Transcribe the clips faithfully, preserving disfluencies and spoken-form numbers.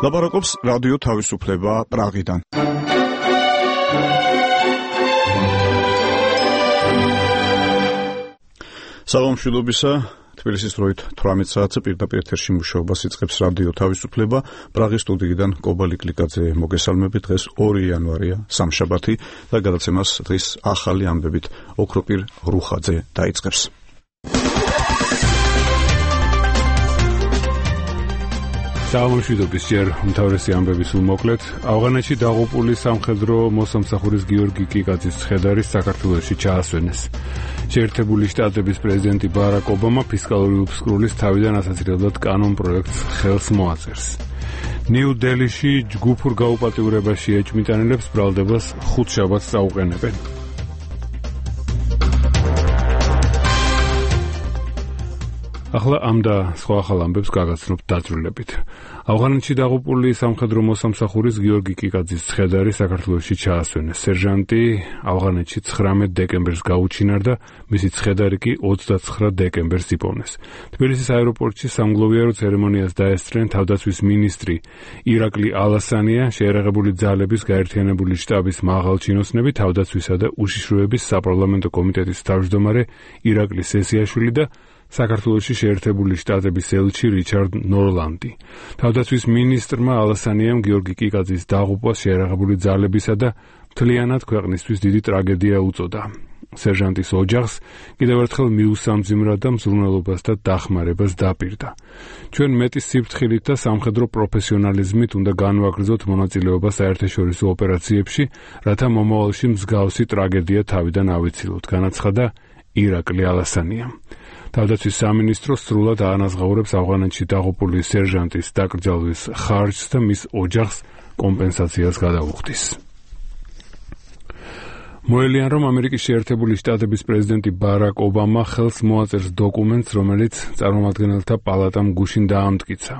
ლაპარაკობს რადიო თავისუფლება პრაღიდან. საღამოშილობისა, თბილისის დროით თვრამეტ საათზე პირდაპირ ეთერში მუშაობას იწყებს რადიო თავისუფლება. პრაღის სტუდიიდან კობალი კლიკაძე მოგესალმებით. დღეს ორი იანვარია, სამშაბათი და გადაცემას დღის ახალი ამბებით ოქროპირ რუხაძე დაიწყებს. საღამოშიდობის ჯერ უმთავრესი ამბების უმოკლედ. ავღანეთში დაღუპული სამხედრო მოსამსახურის გიორგი კიკაძის ცხედარი საქართველოში ჩაასვენეს. შეერთებული შტატების პრეზიდენტი ბარაკ ობამა ფისკალური უფსკრულის თავიდან ასაცილებლად კანონპროექტს ხელს მოაწერს. ნიუ-დელიში ჯგუფურ გაუპატიურებაში ეჭვმიტანილებს ბრალდებას ხუთშაბათს წაუყენებენ. ახლა ამ და სხვა ახალ ამბებს გაგაცნობთ დაწვრილებით. ავღანეთში დაღუპული სამხედრო მოსამსახურის გიორგი კიკაძის ცხედარი საქართველოში ჩაასვენეს. სერჟანტი ავღანეთში ცხრამეტ დეკემბერს გაუჩინარდა, მისი ცხედარი კი ოცდაცხრა დეკემბერს იპოვნეს. თბილისის აეროპორტში სამგლოვიარო ცერემონიას დაესწრნენ თავდაცვის მინისტრი ირაკლი ალასანია, შეერაღებული ძალების გაერთიანებული შტაბის მაღალჩინოსნები, თავდაცვისა და უშიშროების საპარლამენტო კომიტეტის თავმჯდომარე ირაკლი სესიაშვილი და საქართველოში შეერთებული შტატების ელჩი რიჩარდ ნორლანდი. თავდაცვის მინისტრმა ალასანიამ გიორგი კიკაძის დაღუპვას შეერაღებული ძალებისა და მთლიანად ქვეყნისთვის დიდი ტრაგედია უწოდა. სერჟანტის ოჯახს კიდევ ერთხელ მიუსამძიმრა და მზრუნველობას და დახმარებას დაპირდა. ჩვენ მეტი სიფრთხილით და სამხედრო პროფესიონალიზმით უნდა განვაგრძოთ მონაწილეობა საერთაშორისო ოპერაციებში, რათა მომავალში მსგავსი ტრაგედია თავიდან ავიცილოთ, განაცხადა ირაკლი ალასანია. თავდაცვის სამინისტრო სრულად აანაზღაურებს ავღანეთში დაღუპული სერჟანტის დაკრძალვის ხარჯს და მის ოჯახს კომპენსაციას გადაუხდის. მოელიან, რომ ამერიკის შეერთებული შტატების პრეზიდენტი ბარაკ ობამა ხელს მოაწერს დოკუმენტს, რომელიც წარმომადგენელთა პალატამ გუშინ დაამტკიცა.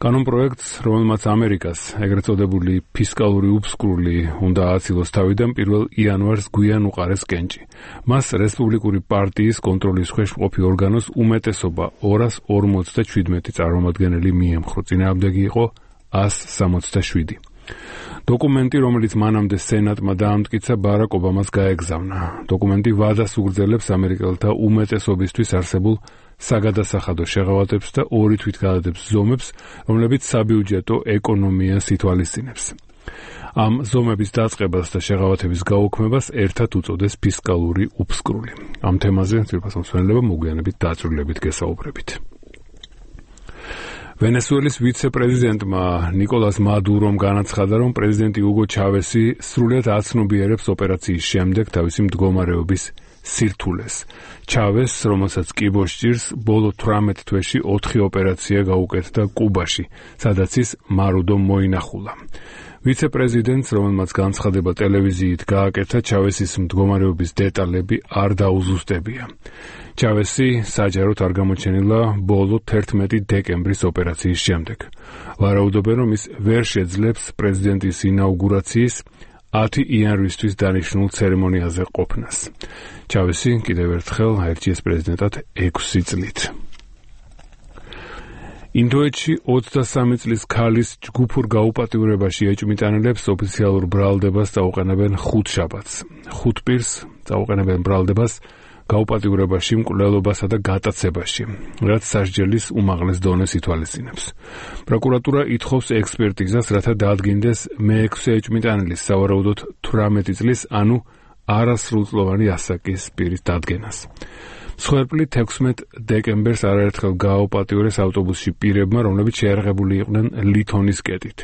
კანონპროექტს, რომელმაც ამერიკას ეგრეთ წოდებული ფისკალური უფსკრული უნდა ააცილოს თავიდან პირველ იანვარს გვიან უყარეს კენჭი. მას რესპუბლიკური პარტიის კონტროლის ქვეშ მყოფი ორგანოს უმეტესობა ორას ორმოცდაჩვიდმეტი წარმომადგენელი მიემხრო, წინააღმდეგი იყო ას სამოცდაშვიდი. დოკუმენტი, რომელიც მანამდე სენატმა დაამტკიცა, ბარაკ ობამას გაეგზავნა. დოკუმენტი ვადას უგრძელებს ამერიკელთა უმეტესობისთვის არსებულ საგადასახადო შეღავათებს და ორი თვითგადადებს ზომებს, რომლებიც საბიუჯეტო ეკონომიას ითვალისწინებს. ამ ზომების დაწყებას და შეღავათების გაუქმებას ერთად უწოდეს ფისკალური უფსკრული. ამ თემაზე ძირფასო მსმენელობა მოგვიანებით დაწვრილებით გესაუბრებით. ვენესუელის ვიცე-პრეზიდენტმა ნიკოლას მადურომ განაცხადა, რომ პრეზიდენტი უგო ჩავესი სრულად აცნობიერებს ოპერაციის შემდეგ თავისი მდგომარეობის სირთულეს. ჩავეს, რომელსაც კიბოს ჭირს, ბოლო თვრამეტ თვეში ოთხი ოპერაცია გაუკეთდა კუბაში, სადაც ის მარუდო მოინახულა. ვიცე-პრეზიდენტს, რომელმაც განცხადება ტელევიზიით გააკეთა, ჩავესის მდგომარეობის დეტალები არ დაუზუსტებია. ჩავესი საჯაროდ არ გამოჩენილა ბოლო თერთმეტი დეკემბრის ოპერაციის შემდეგ. ვარაუდობენ, რომ ის ვერ შეძლებს პრეზიდენტის ინაუგურაციის ათი იანვრისთვის დანიშნულ ცერემონიაზე ყოფნას. ჩავესი კიდევ ერთხელ აირჩიეს პრეზიდენტად ექვსი წლით. ინდოეთში ოცდასამი წლის ქალის ჯგუფურ გაუპატიურებაში ეჭვმიტანილებს ოფიციალურ ბრალდებას წაუყენებენ ხუთშაბათს. ხუთ პირს წაუყენებენ ბრალდებას გაუპატიურებაში, მკვლელობასა და გატაცებაში, რაც სასჯელის უმაღლეს დონეს ითვალისწინებს. პროკურატურა ითხოვს ექსპერტიზას, რათა დაადგინდეს მეექვსე ეჭვმიტანილის სავარაუდოდ თვრამეტი წლის, ანუ არასრულწლოვანი ასაკის პირის დადგენას. მსხვერპლით ექვსმეტ დეკემბერს არაერთხელ გააუპატიურეს ავტობუსში პირებმა, რომლებიც შეერაღებული იყვნენ ლითონის კეტით.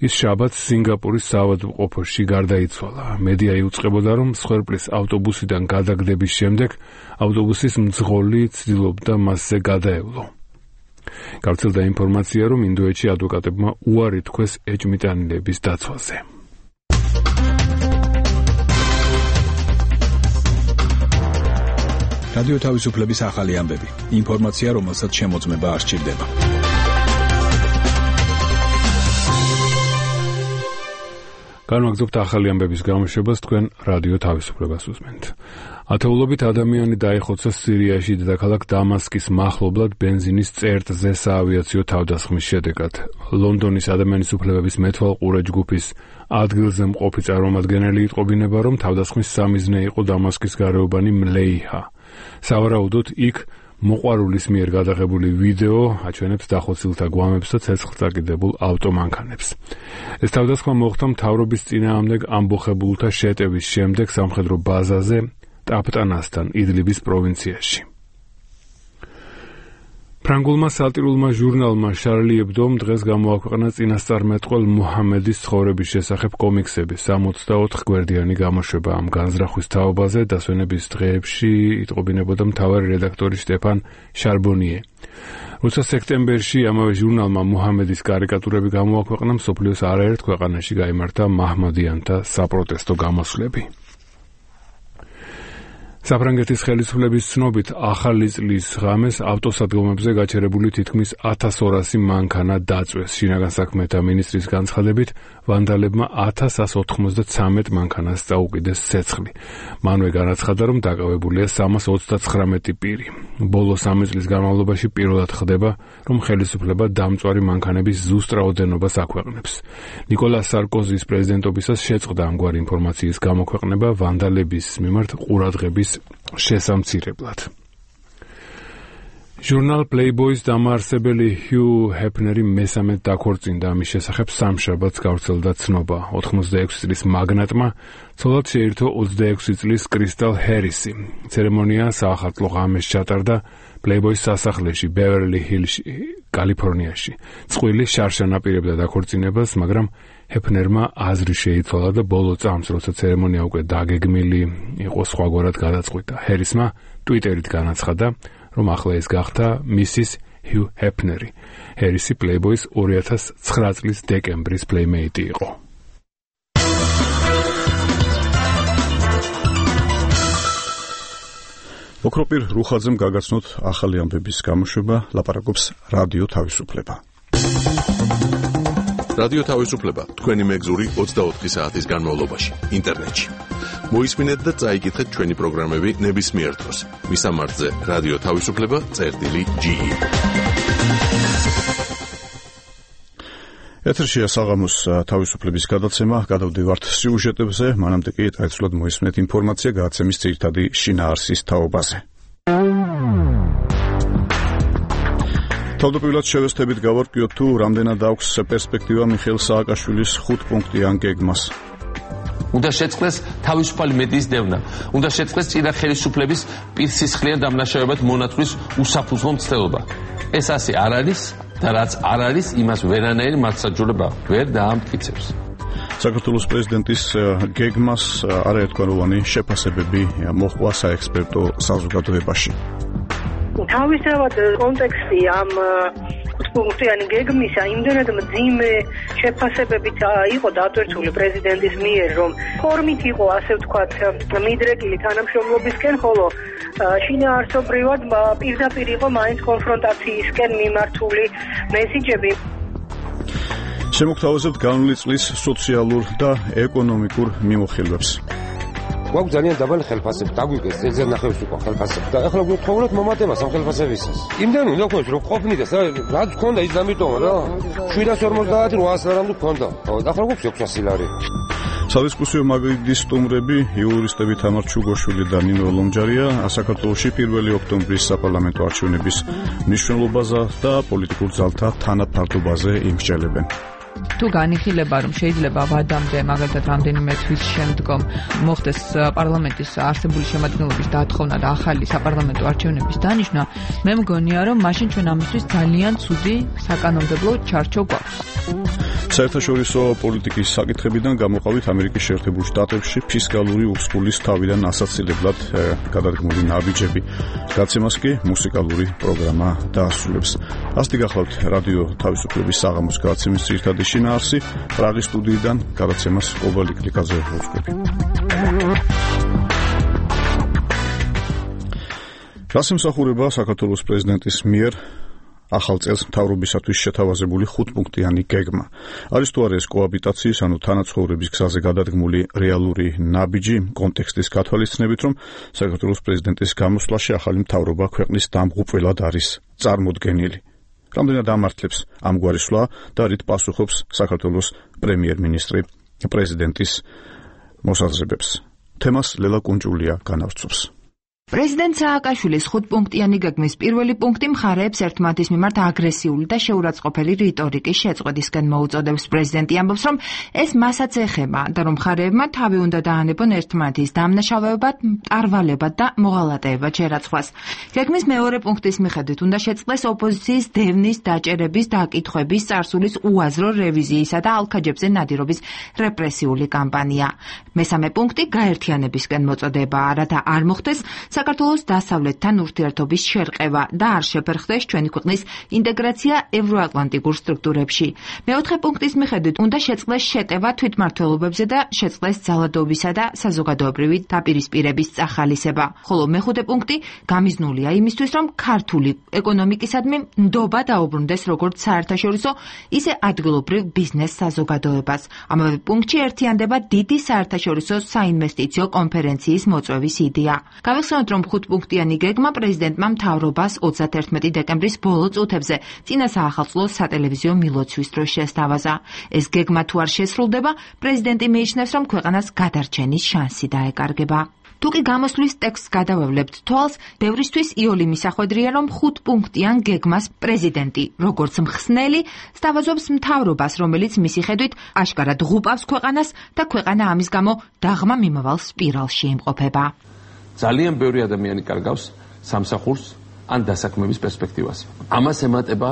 ის შაბათს სინგაპურის საავადმყოფოში გარდაიცვალა. მედია იუწყებოდა, რომ მსხვერპლის ავტობუსიდან გადაგდების შემდეგ ავტობუსის მძღოლი ცდილობდა მასზე გადაევლო. გავრცელდა ინფორმაცია, რომ ინდოეთში ადვოკატებმა უარი თქვეს ეჭვმიტანილების დაცვაზე. რადიო თავისუფლების ახალი ამბები. ინფორმაცია, რომელსაც შემოწმება არ სჭირდება. განვაგრძობთ ახალი ამბების გამოშვებას, თქვენ რადიო თავისუფლებას უსმენთ. ათეულობით ადამიანი დაიხოცა სირიაში დედაქალაქ დამასკის მახლობლად ბენზინის წერტზე საავიაციო თავდასხმის შედეგად. ლონდონის ადამიანის უფლებების მეთვალყურე ჯგუფის ადგილზე მყოფი წარმომადგენელი იტყობინება, რომ თავდასხმის სამიზნე იყო დამასკის გარეუბანი მლეიჰა. სავარაუდოდ იქ მოყვარულის მიერ გადაღებული ვიდეო აჩვენებს დახოცილთა გვამებს და ცეცხლწაკიდებულ ავტომანქანებს. ეს თავდასხმა მოხდა მთავრობის წინააღმდეგ ამბოხებულთა შეტევის შემდეგ სამხედრო ბაზაზე ტაპტანასთან, იდლიბის პროვინციაში. ფრანგულმა სატირულმა ჟურნალმა შარლი ებდომ დღეს გამოაქვეყნა წინასწარმეტყველ მუჰამედის ცხოვრების შესახებ კომიქსები. სამოცდაოთხ გვერდიანი გამოშვება ამ განზრახვის თაობაზე დასვენების დღეებში იტყობინებოდა მთავარი რედაქტორი სტეფან შარბონიე. როცა სექტემბერში ამავე ჟურნალმა მუჰამედის კარიკატურები გამოაქვეყნა, მსოფლიოს არაერთ ქვეყანაში გაიმართა მაჰმადიანთა საპროტესტო გამოსვლები. საფრანგეთის ხელისუფლების ცნობით ახალი წლის ღამეს ავტოსადგომებზე გაჩერებული თითქმის ათას ორასი მანქანა დაწვეს. შინაგან საქმეთა მინისტრის განცხადებით, ვანდალებმა ათას ასს ოთხმოცდაცამეტ მანქანას წაუკიდეს ცეცხლი. მანვე განაცხადა, რომ დაკავებულია სამას ოცდაცხრამეტი პირი. ბოლო სამი წლის განმავლობაში პირველად ხდება, რომ ხელისუფლება დამწვარი მანქანების ზუსტ რაოდენობას აქვეყნებს. ნიკოლას სარკოზის პრეზიდენტობისას შეწყდა ამგვარი ინფორმაციის გამოქვეყნება ვანდალების მიმართ ყურადღების შესამცირებლად. ჟურნალ Playboy-ს დამაარსებელი ჰიუ ჰეფნერი მესამედ დაქორწინდა. ამის შესახებ სამშაბათს გავრცელდა ცნობა. ოთხმოცდაექვსი წლის მაგნატმა ცოლად შეირთო ოცდაექვსი წლის კრისტალ ჰერისი. ცერემონია საახალწლო ღამეს ჩატარდა Playboy-ს სასახლეში, ბევერლი-ჰილში, კალიფორნიაში. წყვილი შარშან აპირებდა დაქორწინებას, მაგრამ ჰეფნერმა აზრი შეიცვალა და ბოლო წამს, როცა ცერემონია უკვე დაგეგმილი იყო, სხვაგვარად გადაწყვიტა. ჰერისმა ტვიტერით განაცხადა, რომ ახლა ეს გახდა მისის ჰიუ ჰეფნერი. ჰერისი Playboy-ს ორი ათას ცხრა წლის დეკემბრის პლეიმეიტი იყო. ოქროპირ რუხაძემ გაგაცნოთ ახალი ამბების გამოშვება, ლაპარაკობს რადიო თავისუფლება. რადიო თავისუფლება თქვენი მეგზური ოცდაოთხი საათის განმავლობაში ინტერნეტში. მოისმინეთ და წაიკითხეთ ჩვენი პროგრამები ნებისმიერ დროს. მისამართზე რადიო თავისუფლება წერტილი ჯი. ეთერშია საღამოს თავისუფლების გადაცემა, გადავდივართ სიუჟეტებზე, მანამდე კი წაეცვლოთ მოისმინეთ ინფორმაცია გადაცემის ძირითადი შინაარსის თაობაზე. თავდაპირველად შევესწრებით გავარკვიოთ თუ რამდენად აქვს პერსპექტივა მიხეილ სააკაშვილის ხუთპუნქტიან გეგმას. უნდა შეწყდეს თავისუფალი მედიის დევნა. უნდა შეწყდეს წინა ხელისუფლების პირსისხლიან დამნაშავებად მონათვლის უსაფუძვლო მცდელობა. ეს ასე არ არის და რაც არ არის, იმას ვერანაირი მართლმსაჯულება ვერ დაამტკიცებს. საქართველოს პრეზიდენტის გეგმას არაერთგვაროვანი შეფასებები მოჰყვა საექსპერტო საზოგადოებაში. თავისთავად კონტექსტი ამ ხუთპუნქტიანი გეგმისა იმდენად მძიმე შეფასებებით იყო დატვირთული პრეზიდენტის მიერ, რომ ფორმით იყო, ასე ვთქვათ, მიდრეკილი თანამშრომლობისკენ, ხოლო შინაარსობრივად პირდაპირ იყო მაინც კონფრონტაციისკენ მიმართული მესიჯები. შემოგთავაზებთ განვლილი წლის სოციალურ და ეკონომიკურ მიმოხილვებს. გვაქვს ძალიან დაბალი ხელფასები, დაგვიგეს ზედზე ნახევრის უკვე ხელფასები და ახლა გვთხოვოთ მომატებას ამ ხელფასებისას. იმდენი უნდა გქონდეს რომ ყოფნიდეს, რაც გქონდა ის დამიტოვა რა. შვიდას ორმოცდაათი რვაას რამე გქონდა. ახლა გვაქვს ექვსასი ლარი. სადისკუსიო მაგიდის სტუმრები იურისტები თამარ ჩუგოშვილი და ნინო ლომჯარია საქართველოში პირველი ოქტომბრის საპარლამენტო არჩევნების მნიშვნელობაზე და პოლიტიკურ ძალთა თანაფარდობაზე იმსჯელებენ. თუ განიხილება, რომ შეიძლება ვადამდე, მაგალითად რამდენიმე თვის შემდგომ მოხდეს პარლამენტის არსებული შემადგენლობის დათხოვნა და ახალი საპარლამენტო არჩევნების დანიშვნა, მე მგონია, რომ მაშინ ჩვენ ამისთვის ძალიან ცუდი საკანონმდებლო ჩარჩო გვაქვს. საერთაშორისო პოლიტიკის საკითხებიდან გამოყავით ამერიკის შეერთებულ შტატებში ფისკალური უსხულის თავიდან ასაცილებლად გადადგმული ნაბიჯები. გაცემას კი მუსიკალური პროგრამა დაასრულებს. ასეთი გახლავთ რადიო თავისუფლების საღამოს გადაცემის ძირითადი შინაარსი. პრაღის სტუდიიდან გადაცემას კობალი კლიკაზე ვუძღვები. რასიმსახურება საქართველოს პრეზიდენტის მიერ ახალ წელს მთავრობისათვის შეთავაზებული ხუთპუნქტიანი გეგმა. არის თუ არა ეს კოაბიტაციის, ანუ თანაცხოვრების გზაზე გადადგმული რეალური ნაბიჯი, კონტექსტის გათვალისწინებით, რომ საქართველოს პრეზიდენტის გამოსვლაში ახალი მთავრობა ქვეყნის დამღუპველად არის წარმოდგენილი. რამდენად ამართლებს ამგვარი სვლა და რით პასუხობს საქართველოს პრემიერ-მინისტრი პრეზიდენტის მოსაზრებებს. თემას ლელა კუნჭულია განავრცობს. პრეზიდენტ სააკაშვილის ხუთპუნქტიანი გეგმის პირველი პუნქტი მხარეებს ერთმანეთის მიმართ აგრესიული და შეურაცხყოფელი რიტორიკის შეწყვეტისკენ მოუწოდებს. პრეზიდენტი ამბობს, რომ ეს მასაც ეხება და რომ მხარეებმა თავი უნდა დაანებონ ერთმანეთის დამნაშავეებად, მტარვალებად და მოღალატეებად შერაცხვას. გეგმის მეორე პუნქტის მიხედვით უნდა შეწყდეს ოპოზიციის დევნის, დაჭერების, დაკითხვების, წარსულის უაზრო რევიზიისა და ალქაჯებზე ნადირობის რეპრესიული კამპანია. მესამე პუნქტი გაერთიანებისკენ მოწოდებაა, რათა არ მოხდეს საქართველოს დასავლეთთან ურთიერთობის შერყევა და არ შეფერხდეს ჩვენი ქვეყნის ინტეგრაცია ევროატლანტიკურ სტრუქტურებში. მეოთხე პუნქტის მიხედვით უნდა შეწყდეს შეტევა თვითმმართველობებზე და შეწყდეს ძალადობისა და საზოგადოებრივი დაპირისპირების წახალისება. ხოლო მეხუთე პუნქტი გამიზნულია იმისთვის, რომ ქართული ეკონომიკისადმი ნდობა დაუბრუნდეს როგორც საერთაშორისო, ისე ადგილობრივ ბიზნეს საზოგადოებას. ამავე პუნქტში ერთიანდება დიდი საერთაშორისო საინვესტიციო კონფერენციის მოწვევის იდეა. გავიხსენოთ, რომ ხუთპუნქტიანი გეგმა პრეზიდენტმა მთავრობას ოცდაათერთმეტი დეკემბრის ბოლო წუთებზე წინა საახალწლო სატელევიზიო მილოცვის დროს შესთავაზა. ეს გეგმა თუ არ შესრულდება, პრეზიდენტი მიიჩნევს, რომ ქვეყანას გადარჩენის შანსი დაეკარგება. თუ კი გამოსვლის ტექსტს გადავევლებთ თვალს, ბევრისთვის იოლი მისახვედრია, რომ ხუთპუნქტიან გეგმას პრეზიდენტი, როგორც მხსნელი, სთავაზობს მთავრობას, რომელიც მისი ხედვით აშკარად ღუპავს ქვეყანას და ქვეყანა ამის გამო დაღმა მიმავალ სპირალში იმყოფება. ძალიან ბევრი ადამიანი კარგავს სამსახურს ან დასაქმების პერსპექტივას. ამას ემატება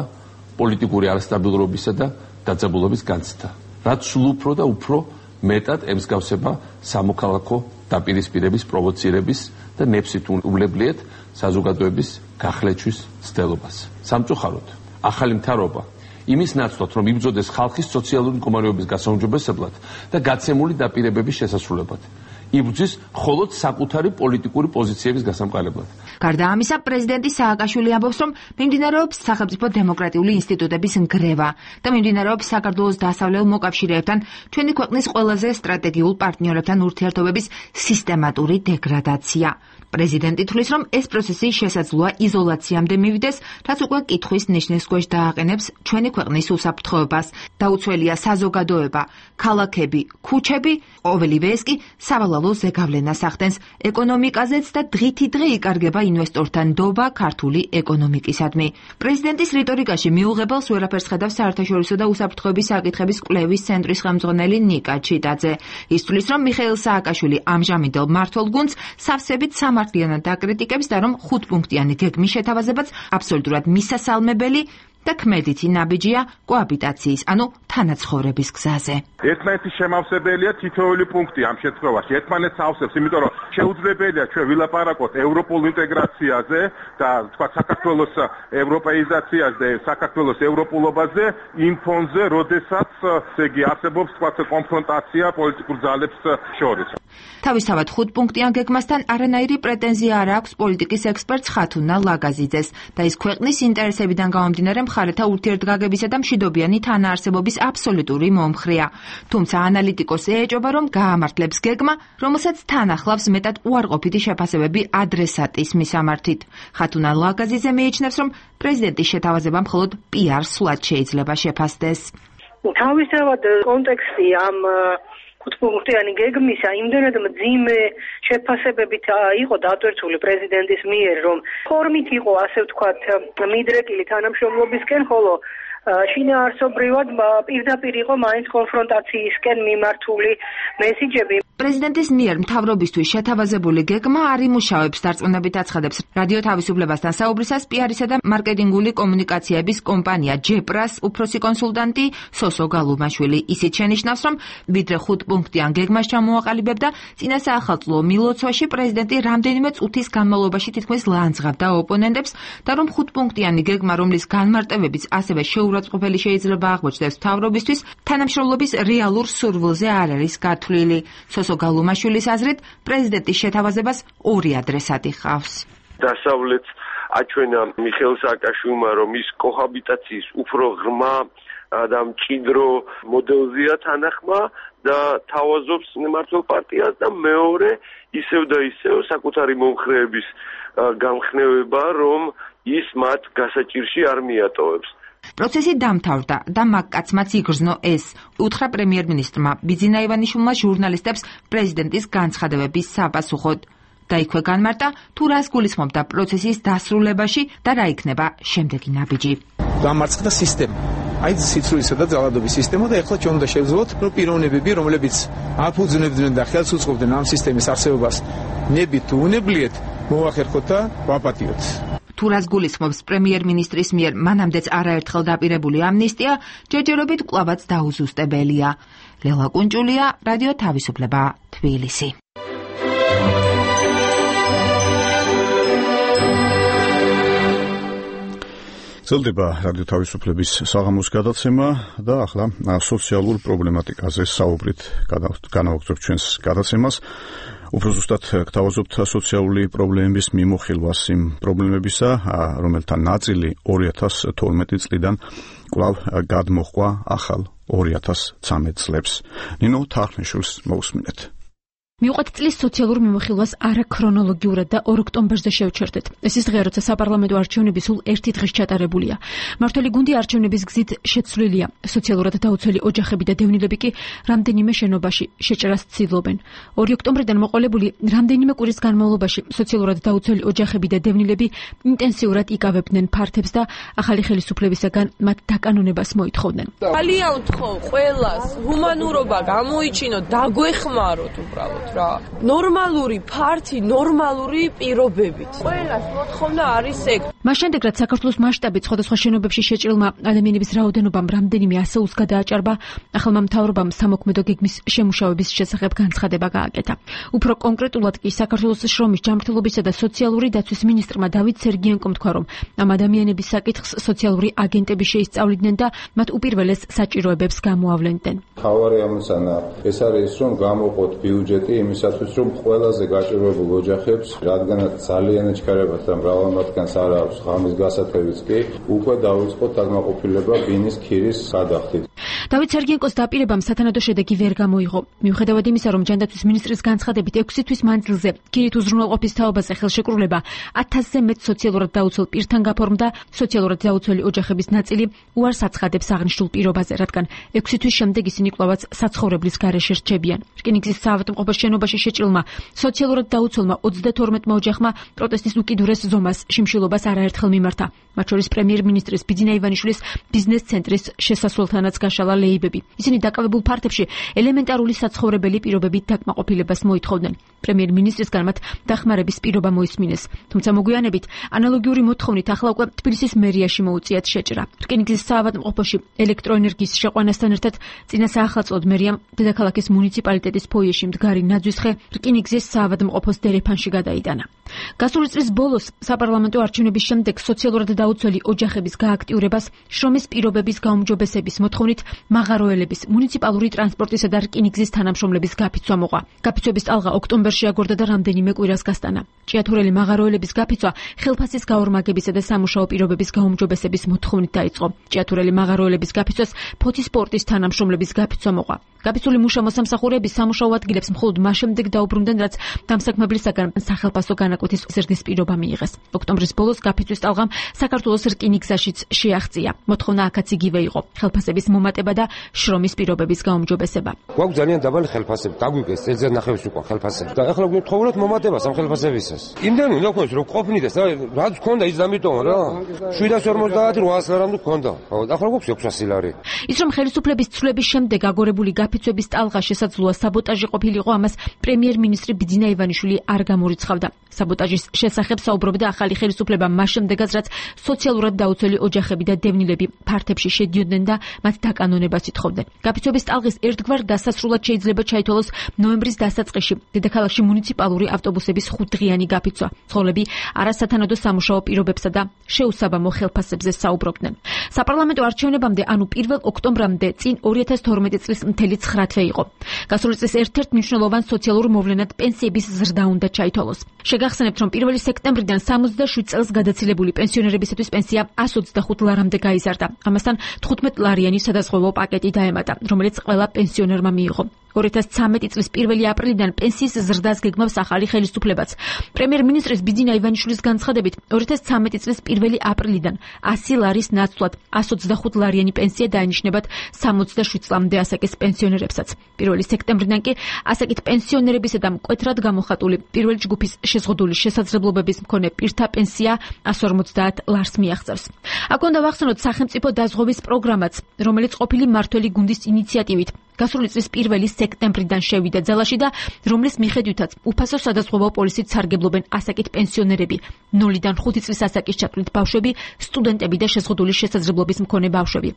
პოლიტიკური არასტაბილურობისა და დაძაბულობის განცდა, რაც სულ უფრო და უფრო მეტად ემსგავსება სამოქალაქო დაპირისპირების, პროვოცირების და ნეფსით უვლებლიეთ საზოგადოების გახლეჩვის ცდელობას. სამწუხაროდ, ახალი მთავრობა იმის ნაცვლად, რომ იბრძოდეს ხალხის სოციალური მდგომარეობის გასაუმჯობესებლად და გაცემული დაპირებების შესასრულებლად, იბრძვის მხოლოდ საკუთარი პოლიტიკური პოზიციების გასამყარებლად. გარდა ამისა, პრეზიდენტი სააკაშვილი ამბობს, რომ მიმდინარეობს სახელმწიფო დემოკრატიული ინსტიტუტების ნგრევა და მიმდინარეობს საქართველოს დასავლელ მოკავშირეებთან, ჩვენი ქვეყნის ყველაზე სტრატეგიულ პარტნიორებთან ურთიერთობების სისტემატური დეგრადაცია. პრეზიდენტი თვლის, რომ ეს პროცესი შესაძლოა იზოლაციამდე მივიდეს, რაც უკვე კითხვის ნიშნის ქვეშ დააყენებს ჩვენი ქვეყნის უსაფრთხოებას. დაუცველია საზოგადოება, ქალაქები, ქუჩები, ყოველივე ეს კი სავალალო ზეგავლენას ახდენს ეკონომიკაზეც და დღითი დღე იკარგება ინვესტორთა ნდობა ქართული ეკონომიკისადმი. პრეზიდენტის რიტორიკაში მიუღებელს ვერაფერს ხედავს საერთაშორისო და უსაფრთხოების საკითხების კვლევის ცენტრის ხელმძღვანელი ნიკა ჩიტაძე. ის თვლის, რომ მიხეილ სააკაშვილი ამჟამინდელ მმართველ გუნდს სავსებით სამართლიანად აკრიტიკებს და რომ ხუთპუნქტიანი გეგმის შეთავაზებაც აბსოლუტურად მისასალმებელი და ქმედითი ნაბიჯია კოაბიტაციის, ანუ თანაცხოვრების გზაზე. ერთმანეთის შემავსებელია თითოეული პუნქტი ამ შემთხვევაში. ერთმანეთს ავსებს, იმიტომ რომ შეუძლებელია ჩვენ ვილაპარაკოთ ევროპულ ინტეგრაციაზე და თქვა საქართველოს ევროპეიზაციაზე, საქართველოს ევროპულობაზე იმ ფონზე, როდესაც ესე იგი არსებობს თქვა კონფრონტაცია პოლიტიკურ ძალებს შორის. თავისთავად ხუთპუნქტიან გეგმასთან არანაირი პრეტენზია არ აქვს პოლიტიკის ექსპერტს ხათუნა ლაგაზიძეს და ის ქვეყნის ინტერესებიდან გამომდინარე მხარეთა ურთიერთგაგებისა და მშვიდობიანი თანაარსებობის აბსოლუტური მომხრეა. თუმცა ანალიტიკოსი ეჭობა, რომ გაამართლებს გეგმა, რომელსაც თან ახლავს მეტად უარყოფითი შეფასებები ადრესატის მისამართით. ხათუნა ლაგაზიძე მიიჩნევს, რომ პრეზიდენტის შეთავაზება მხოლოდ პიარ სვლად შეიძლება შეფასდეს. თავისთავად კონტექსტი ამ ხუთპუნქტიანი გეგმისა იმდენად მძიმე შეფასებებით იყო დატვირთული პრეზიდენტის მიერ, რომ ფორმით იყო, ასე ვთქვათ, მიდრეკილი თანამშრომლობისკენ, ხოლო შინაარსობრივად პირდაპირ იყო მაინც კონფრონტაციისკენ მიმართული მესიჯები. პრეზიდენტის მიერ მთავრობისთვის შეთავაზებული გეგმა არ იმუშავებს, დარწმუნებით აცხადებს რადიო თავისუფლებასთან საუბრისას პიარისა და მარკეტინგული კომუნიკაციების კომპანია ჯეპრას უფროსი კონსულტანტი სოსო გალუმაშვილი. ისიც შენიშნავს, რომ ვიდრე ხუთპუნქტიან გეგმას ჩამოაყალიბებდა, წინა საახალწლო მილოცვაში პრეზიდენტი რამდენიმე წუთის განმავლობაში თითქმის ლანძღავდა ოპონენტებს და რომ ხუთპუნქტიანი გეგმა, რომლის განმარტებებიც ასევე შეურაცხყოფელი შეიძლება აღმოჩნდეს მთავრობისთვის, თანამშრომლობის რეალურ სურვილზე არ არის გათვლილი. სოსო გალუმაშვილის აზრით, პრეზიდენტის შეთავაზებას ორი ადრესატი ჰყავს. დასავლეთ აჩვენა მიხეილ სააკაშვილმა, რომ ის კოჰაბიტაციის უფრო ღრმა და მჭიდრო მოდელზეა თანახმა და თავაზობს მმართველ პარტიას და მეორე ისევ და ისევ საკუთარი მომხრეების გამხნევება, რომ ის მათ გასაჭირში არ მიატოვებს. პროცესი დამთავრდა და მაგკაცმაც იგრძნო ეს, უთხრა პრემიერ-მინისტრმა ბიძინა ივანიშვილმა ჟურნალისტებს პრეზიდენტის განცხადებების საპასუხოდ. და იქვე განმარტა, თუ რას გულისხმობდა პროცესის დასრულებაში და რა იქნება შემდეგი ნაბიჯი. დამარცხდა სისტემა. აი სიცრუისა და ძალადობის სისტემა და ეხლა ჩვენ უნდა შევძლოთ, რომ პიროვნებები, რომლებიც აფუძნებდნენ და ხელს უწყობდნენ ამ სისტემის არსებობას, ნებით თუ უნებლიეთ, მოახერხოთ და ვაპატიოთ. თუ რას გულისხმობს პრემიერ-მინისტრის მიერ მანამდეც არაერთხელ დაპირებული ამნისტია, ჯერჯერობით კვლავაც დაუზუსტებელია. ლელა კუნჭულია, რადიო თავისუფლება, თბილისი. გრძელდება რადიო თავისუფლების საღამოს გადაცემა და ახლა სოციალურ პრობლემატიკაზე საუბრით განავაგრძობთ ჩვენს გადაცემას. უფრო ზუსტად გთავაზობთ სოციალური პრობლემების მიმოხილვას იმ პრობლემებისა, რომელთა ნაწილი ორი ათას თორმეტი წლიდან კვლავ გადმოჰყვა ახალ ორი ათას ცხრამეტ წლებს. ნინო თარხნიშვილს მოусმინეთ. მივყვეთ წლის სოციალურ მიმოხილვას არაქრონოლოგიურად და ორ ოქტომბერზე შევჩერდეთ. ეს ის დღე, როცა საპარლამენტო არჩევნები სულ ერთი დღის ჩატარებულია. მმართველი გუნდი არჩევნების გზით შეცვლილია. სოციალურად დაუცველი ოჯახები და დევნილები კი რამდენიმე შენობაში შეჭრას ცდილობენ. ორი ოქტომბრიდან მოყოლებული რამდენიმე კვირის განმავლობაში სოციალურად დაუცველი ოჯახები და დევნილები ინტენსიურად იკავებდნენ ფართებს და ახალი ხელისუფლებისაგან მათ დაკანონებას მოითხოვდნენ. ძალიან ვთხოვ ყველას, ჰუმანურობა გამოიჩინოთ, დაგვეხმაროთ უბრალოდ. ნორმალური ფართი, ნორმალური პირობებით. ყველას მოთხოვნა არის ეგ. მას შემდეგ, რაც საქართველოს მასშტაბით სხვადასხვა შენობებში შეჭრილმა ადამიანების რაოდენობამ რამდენიმე ასეულს გადააჭარბა, ახალმა მთავრობამ სამოქმედო გეგმის შემუშავების შესახებ განცხადება გააკეთა. უფრო კონკრეტულად კი საქართველოს შრომის ჯანმრთელობისა და სოციალური დაცვის მინისტრმა დავით სერგიენკომ თქვა, რომ ამ ადამიანების საკითხს სოციალური აგენტები შეისწავლიდნენ და მათ უპირველეს საჭიროებებს გამოავლენდნენ. მთავარი ამოცანა ეს არის, რომ გამოყოთ ბიუჯეტი იმისათვის, რომ ყველაზე გაჭირვებულ ოჯახებს, რადგანაც ძალიან ეჩქარებათ და მრავალ მათგანს არ აქვს ღამის გასათევიც კი, უკვე დაუწყოთ დაკმაყოფილება ბინის ქირის გადახდით. დავით სერგიენკოს დაპირებამ სათანადო შედეგი ვერ გამოიღო. მიუხედავად იმისა, რომ ჯანდაცვის მინისტრის განცხადებით ექვსი თვის მანძილზე ქირით უზრუნველყოფის თაობაზე ხელშეკრულება ათასზე მეტ სოციალურად დაუცველ პირთან გაფორმდა, სოციალურად დაუცველი ოჯახების ნაწილი უარს აცხადებს აღნიშნულ პირობაზე, რადგან ექვსი თვის შემდეგ ისინი კვლავაც საცხოვრებლის გარეშე რჩებიან. რკინიგზის საავადმყოფოს შენობაში შეჭრილმა სოციალურად დაუცველმა ოცდათორმეტმა ოჯახმა პროტესტის უკიდურეს ზომას შიმშილობას არაერთხელ მიმართა. მათ შორის პრემიერ-მინისტრის ბიძინა ივანიშვილის ბიზნეს ცენტრის შესასვლელთანაც გაშალა ლეიბები. ისინი დაკავებულ ფართებში ელემენტარული საცხოვრებელი პირობებით დაკმაყოფილებას მოითხოვდნენ. პრემიერ-მინისტრისგან მათ დახმარების პირობა მოისმინეს. თუმცა მოგვიანებით ანალოგიური მოთხოვნით ახლა უკვე თბილისის მერიაში მოუწიათ შეჭრა. რკინიგზის საავადმყოფოში ელექტროენერგიის შეყვანასთან ერთად წინა საახალწლოდ მერიამ დედაქალაქის მუნიციპალიტეტის ფოიეში მდგარი ნაძვისხე რკინიგზის საავადმყოფოს დერეფანში გადაიტანა. გასული წლის ბოლოს საპარლამენტო არჩევნების შემდეგ სოციალურად დაუცველი ოჯახების გააქტიურებას შრომის პირობების გაუმჯობესების მოთხოვნით მაღაროელების, მუნიციპალური ტრანსპორტისა და რკინიგზის თანამშრომლების გაფიცვა მოყვა. გაფიცვების ტალღა ოქტომბერში აგორდა და რამდენიმე კვირას გასტანა. ჭიათურელი მაღაროელების გაფიცვა ხელფასის გაორმაგებისა და სამუშაო პირობების გაუმჯობესების მოთხოვნით დაიწყო. ჭიათურელი მაღაროელების გაფიცვას ფოთის სპორტის თანამშრომლების გაფიცვა მოყვა. გაფიცვული მუშა მოსამსახურეების სამუშაო ადგილებს მხოლოდ მას შემდეგ დაუბრუნდნენ, რაც დამსაქმებლისაგან სახელფასო განაკვეთის ზრდის პირობა მიიღეს. ოქტომბრის ბოლოს გაფიცვის ტალღამ საქართველოს რკინიგზაშიც შეაღწია. მოთხოვნა აქაც იგივე იყო: ხელფასების მომატება და შრომის პირობების გაუმჯობესება. გვაქვს ძალიან დაბალი ხელფასები, დაგვიგეს წელიწად ნახევრის უკვე ხელფასები. და ახლა გვეთხოვოთ მომატებას ამ ხელფასებისას. იმდენი უნდა გქონდეს, რომ ყოფნიდეს, რაც გქონდა ის დამიტომა რა. შვიდას ორმოცდაათი რვაას ლარამდე გქონდა. ახლა გვაქვს ექვსასი ლარი. ის რომ ხელისუფლების ცვლილების შემდეგ აგორებული გაფიცვების ტალღა შესაძლოა საბოტაჟი ყოფილიყო, ამას პრემიერ-მინისტრი ბიძინა ივანიშვილი არ გამორიცხავდა. საბოტაჟის შესახებ საუბრობდა ახალი ხელისუფლება მას შემდეგაც, რაც სოციალურად დაუცველი ოჯახები და დევნილები ფართებში შედიოდნენ და მათ დაკანონებას დაკავშირებას ითხოვდნენ. გაფიცვების ტალღის ერთგვარ დასასრულად შეიძლება ჩაითვალოს ნოემბრის დასაწყისში დედაქალაქში მუნიციპალური ავტობუსების ხუთდღიანი გაფიცვა. მცხოვრები არასათანადო სამუშაო პირობებსა და შეუსაბამო ხელფასებზე საუბრობდნენ. საპარლამენტო არჩევნებამდე, ანუ პირველ ოქტომბრამდე წინ ორი ათას თორმეტი წლის მთელი ცხრა თვე იყო. გასული წლის ერთ-ერთ მნიშვნელოვან სოციალურ მოვლენად პენსიების ზრდა უნდა ჩაითვალოს. შეგახსენებთ, რომ პირველი სექტემბრიდან სამოცდაშვიდ წელს გადაცილებული პენსიონერებისათვის პენსია ას ოცდახუთ ლარამდე გაიზარდა. ამასთან თხუთმეტ ლარიანი სადაზღვევო პაკეტი დაემატა, რომელიც ყველა პენსიონერმა მიიღო. ორი ათას ცხრამეტი წლის პირველი აპრილიდან პენსიის ზრდას გეგმავს ახალი ხელისუფლებაც. პრემიერ-მინისტრის ბიძინა ივანიშვილის განცხადებით, ორი ათას ცხრამეტი წლის პირველი აპრილიდან ასი ლარის ნაცვლად ას ოცდახუთ ლარიანი პენსია დაენიშნებათ სამოცდაშვიდ წლამდე ასაკის პენსიონერებსაც. პირველი სექტემბრიდან კი ასაკით პენსიონერებისა და მკვეთრად გამოხატული პირველი ჯგუფის შეზღუდული შესაძლებლობების მქონე პირთა პენსია ას ორმოცდაათ ლარს მიაღწევს. აქ უნდა ვახსენოთ სახელმწიფო დაზღვევის პროგრამაც, რომელიც ყოფილი მმართველი გუნდის ინიციატივით გასული წლის პირველი სექტემბრიდან შევიდა ძალაში და რომლის მიხედვითაც უფასო სადაზღვევო პოლისით სარგებლობენ ასაკით პენსიონერები, ნულიდან ხუთი წლის ასაკის ჩათვლით ბავშვები, სტუდენტები და შეზღუდული შესაძლებლობის მქონე ბავშვები.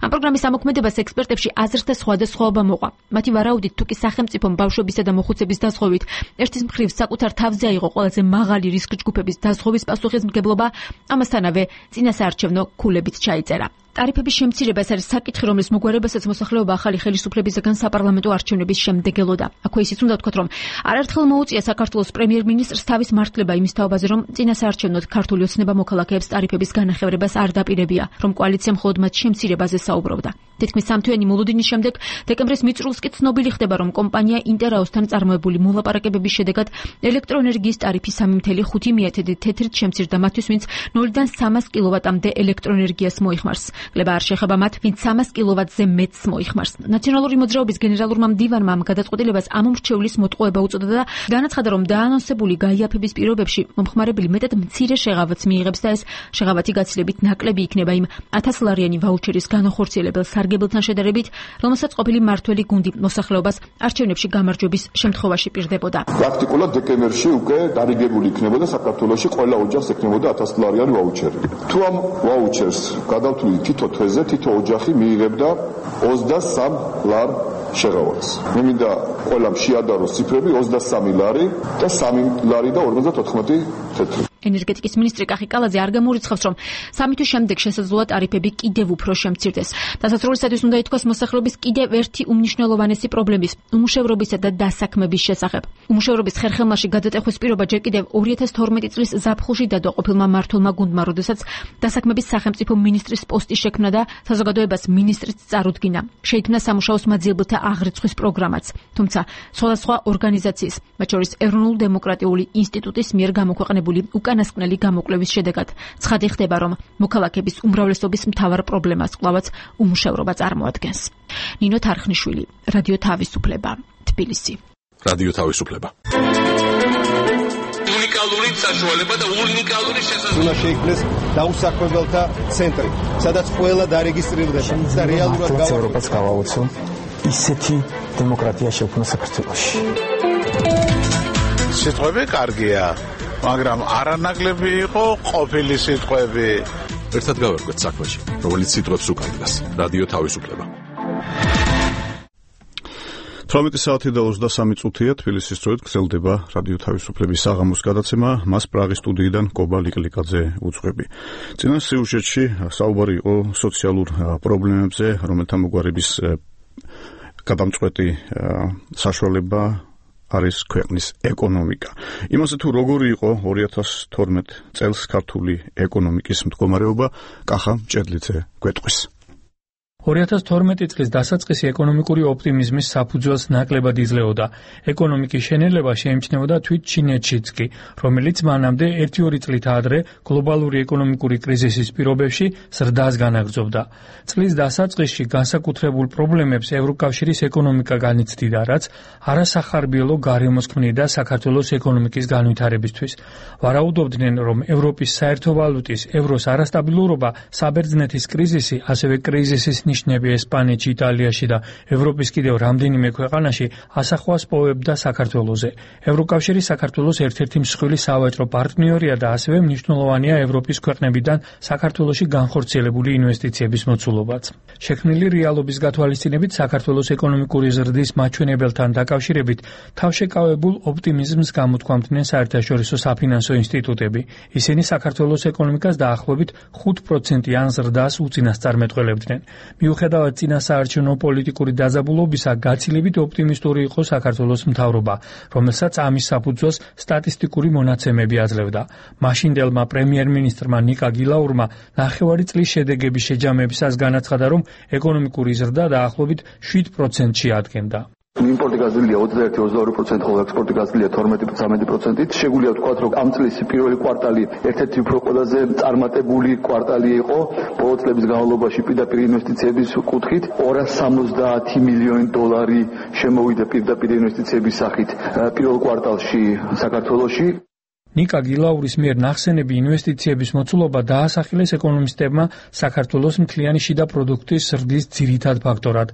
ამ პროგრამის ამოქმედებას ექსპერტებში აზრთა სხვადასხვაობა მოყვა. მათი ვარაუდით, თუკი სახელმწიფომ ბავშვებისა და მოხუცების დაზღვევით ერთის მხრივ საკუთარ თავზე აიღო ყველაზე მაღალი რისკ ჯგუფების დაზღვევის პასუხისმგებლობა, ამასთანავე წინასაარჩევნო ქულებით ჩაიწერა. ტარიფების შემცირება ეს არის საკითხი, რომლის მოგვარებასაც მოსახლეობა ახალი ხელისუფლებისგან საპარლამენტო არჩევნების შემდეგ ელოდა. აქვე ისიც უნდა ვთქვათ, რომ არაერთხელ მოუწია საქართველოს პრემიერ-მინისტრს თავის მართლება იმის თაობაზე, რომ წინასაარჩევნოდ ქართული ოცნება მოქალაქეებს ტარიფების განახევრებას არ დაპირებია, რომ კოალიცია მხოლოდ მათ შემცირებაზე საუბრობდა. თითქმის სამთვიანი მოლოდინის შემდეგ დეკემბრის მიწურულს კი ცნობილი ხდება, რომ კომპანია ინტერაოსთან წარმოებული მოლაპარაკებების შედეგად ელექტროენერგიის ტარიფი სამი ათეული ხუთი თეთრით შემცირდა მათთვის, ვინც ნულიდან სამას კილოვატამდე ელექტროენერგიას მოიხმარს. კლება არ შეეხება მათ, ვინც სამას კილოვატზე მეტს მოიხმარს. ნაციონალური მოძრაობის გენერალურმა მდივანმა ამ გადაწყვეტილებას ამომრჩევლის მოტყუება უწოდა და განაცხადა, რომ დაანონსებული გაიაფების პირობებში მომხმარებელი მეტად მცირე შეღავათს მიიღებს და ეს შეღავათი გაცილებით ნაკლები იქნება იმ ათას ლარიანი ვაუჩერის განახორციელებელ სარგებელთან შედარებით, რომელსაც ყოფილი მმართველი გუნდი მოსახლეობას არჩევნებში გამარჯვების შემთხვევაში პირდებოდა. პრაქტიკულად დეკემბერში უკვე დარიგებული იქნებოდა საქართველოში ყველა ოჯახს ექნებოდა ათას ლარიანი ვაუჩერი. თუ ამ ვაუჩერს გადავთვლით თითო თვეზე, თითო ოჯახი მიიღებდა ოცდასამ ლარ შეღავათს. მე მინდა ყველამ შეადაროს ციფრები ოცდასამი ლარი და სამი ლარი და ორმოცდათოთხმეტი თეთრი. ენერგეტიკის მინისტრი კახი კალაძე არ გამორიცხავს, რომ სამი თვის შემდეგ შესაძლოა ტარიფები კიდევ უფრო შემცირდეს. დასასრულისათვის უნდა ითქვას მოსახლეობის კიდევ ერთი უმნიშვნელოვანესი პრობლემის, უმუშევრობისა და დასაქმების შესახებ. უმუშევრობის ხერხემალში გადატეხვის პირობა ჯერ კიდევ ორი ათას თორმეტი წლის ზაფხულში დადო ყოფილმა მმართველმა გუნდმა, როდესაც დასაქმების სახელმწიფო მინისტრის პოსტი შექმნა და საზოგადოებას მინისტრიც წარუდგინა. შეიქმნა სამუშაოს მაძიებელთა აღრიცხვის პროგრამაც. თუმცა სხვადასხვა ორგანიზაციის, მათ შორის ეროვნულ-დემოკრატიული ინსტიტუტის მიერ გამოქვეყნებული უკანასკნელი გამოკვლევის შედეგად ცხადი ხდება, რომ მოქალაქეების უმრავლესობის მთავარ პრობლემას კვლავაც უმუშევრობა წარმოადგენს. ნინო თარხნიშვილი, რადიო თავისუფლება, თბილისი. რადიო თავისუფლება. უნიკალური საშუალება და უნიკალური შესაძლებლობა. უნდა შეიქმნეს დაუსაქმებელთა ცენტრი, სადაც ყველა დარეგისტრირდება და რეალურად ევროპას გავაუცო ისეთი დემოკრატია შექმნა საქართველოში. სიტყვები კარგია, მაგრამ არანაკლები იყო ყოფილი სიტყვები. ერთად გავერკვეთ საქმეში, რომელიც სიტყვებს უკანდეს. რადიო თავისუფლება. თვრამეტი საათი და ოცდასამი წუთია თბილისის დროით გრძელდება რადიო თავისუფლების საღამოს გადაცემა, მას პრაღის სტუდიიდან კობა ლიკლიკაძე უძღვები. წინა სიუჟეტში საუბარი იყო სოციალურ პრობლემებზე, რომელთა მოგვარების გადამწყვეტი საშუალება არის ქვეყნის ეკონომიკა. იმაზე თუ როგორი იყო ორი ათას თორმეტი წელს ქართული ეკონომიკის მდგომარეობა, კახა მჭედლიძე გვეტყვის. ორი ათას თორმეტი წლის დასაწყისი ეკონომიკური ოპტიმიზმის საფუძველს ნაკლებად იძლეოდა. ეკონომიკის შენელება შეიმჩნეოდა თვით ჩინეთშიც კი, რომელიც მანამდე ერთი-ორი წლით ადრე გლობალური ეკონომიკური კრიზისის პირობებში ზრდას განაგრძობდა. წლის დასაწყისში განსაკუთრებულ პრობლემებს ევროკავშირის ეკონომიკა განიცდიდა, რაც არასახარბიელო გარემოს ქმნიდა საქართველოს ეკონომიკის განვითარებისთვის. ვარაუდობდნენ, რომ ევროპის საერთო ვალუტის ევროს არასტაბილურობა, საბერძნეთის კრიზისი, ასევე კრიზისის აღნიშნები ესპანეთში, იტალიაში და ევროპის კიდევ რამდენიმე ქვეყანაში ასახვას პოვებდა საქართველოზე. ევროკავშირი საქართველოს ერთ-ერთი მსხვილი სავაჭრო პარტნიორია და ასევე მნიშვნელოვანია ევროპის ქვეყნებიდან საქართველოში განხორციელებული ინვესტიციების მოცულობაც. შექმნილი რეალობის გათვალისწინებით საქართველოს ეკონომიკური ზრდის მაჩვენებელთან დაკავშირებით თავშეკავებულ ოპტიმიზმს გამოთქვამდნენ საერთაშორისო საფინანსო ინსტიტუტები. ისინი საქართველოს ეკონომიკას დაახლოებით ხუთ პროცენტიან ზრდას უწინასწარმეტყველებდნენ. მიუხედავად წინასაარჩევნო პოლიტიკური დაძაბულობისა, გაცილებით ოპტიმისტური იყო საქართველოს მთავრობა, რომელსაც ამის საფუძველს სტატისტიკური მონაცემები აძლევდა. მაშინდელმა პრემიერ-მინისტრმა ნიკა გილაურმა ნახევარი წლის შედეგების შეჯამებისას განაცხადა, რომ ეკონომიკური ზრდა დაახლოებით შვიდ პროცენტში ადგენდა. იმპორტი გაზრდილია ოცდაერთი ოცდაორი პროცენტი, ხოლო ექსპორტი გაზრდილია თორმეტი ცამეტი პროცენტით. შეგვიძლია ვთქვათ, რომ ამ წლის პირველი კვარტალი ერთ-ერთი უფრო ყველაზე წარმატებული კვარტალი იყო ბოლო წლების განმავლობაში პირდაპირ ინვესტიციების კუთხით. ორასი სამოცდაათი მილიონი დოლარი შემოვიდა პირდაპირ ინვესტიციების სახით პირველ კვარტალში საქართველოში. ნიკა გილაურის მიერ ნახსენები ინვესტიციების მოცულობა დაასახელეს ეკონომისტებმა საქართველოს მთლიანი შიდა პროდუქტის ზრდის ძირითად ფაქტორად.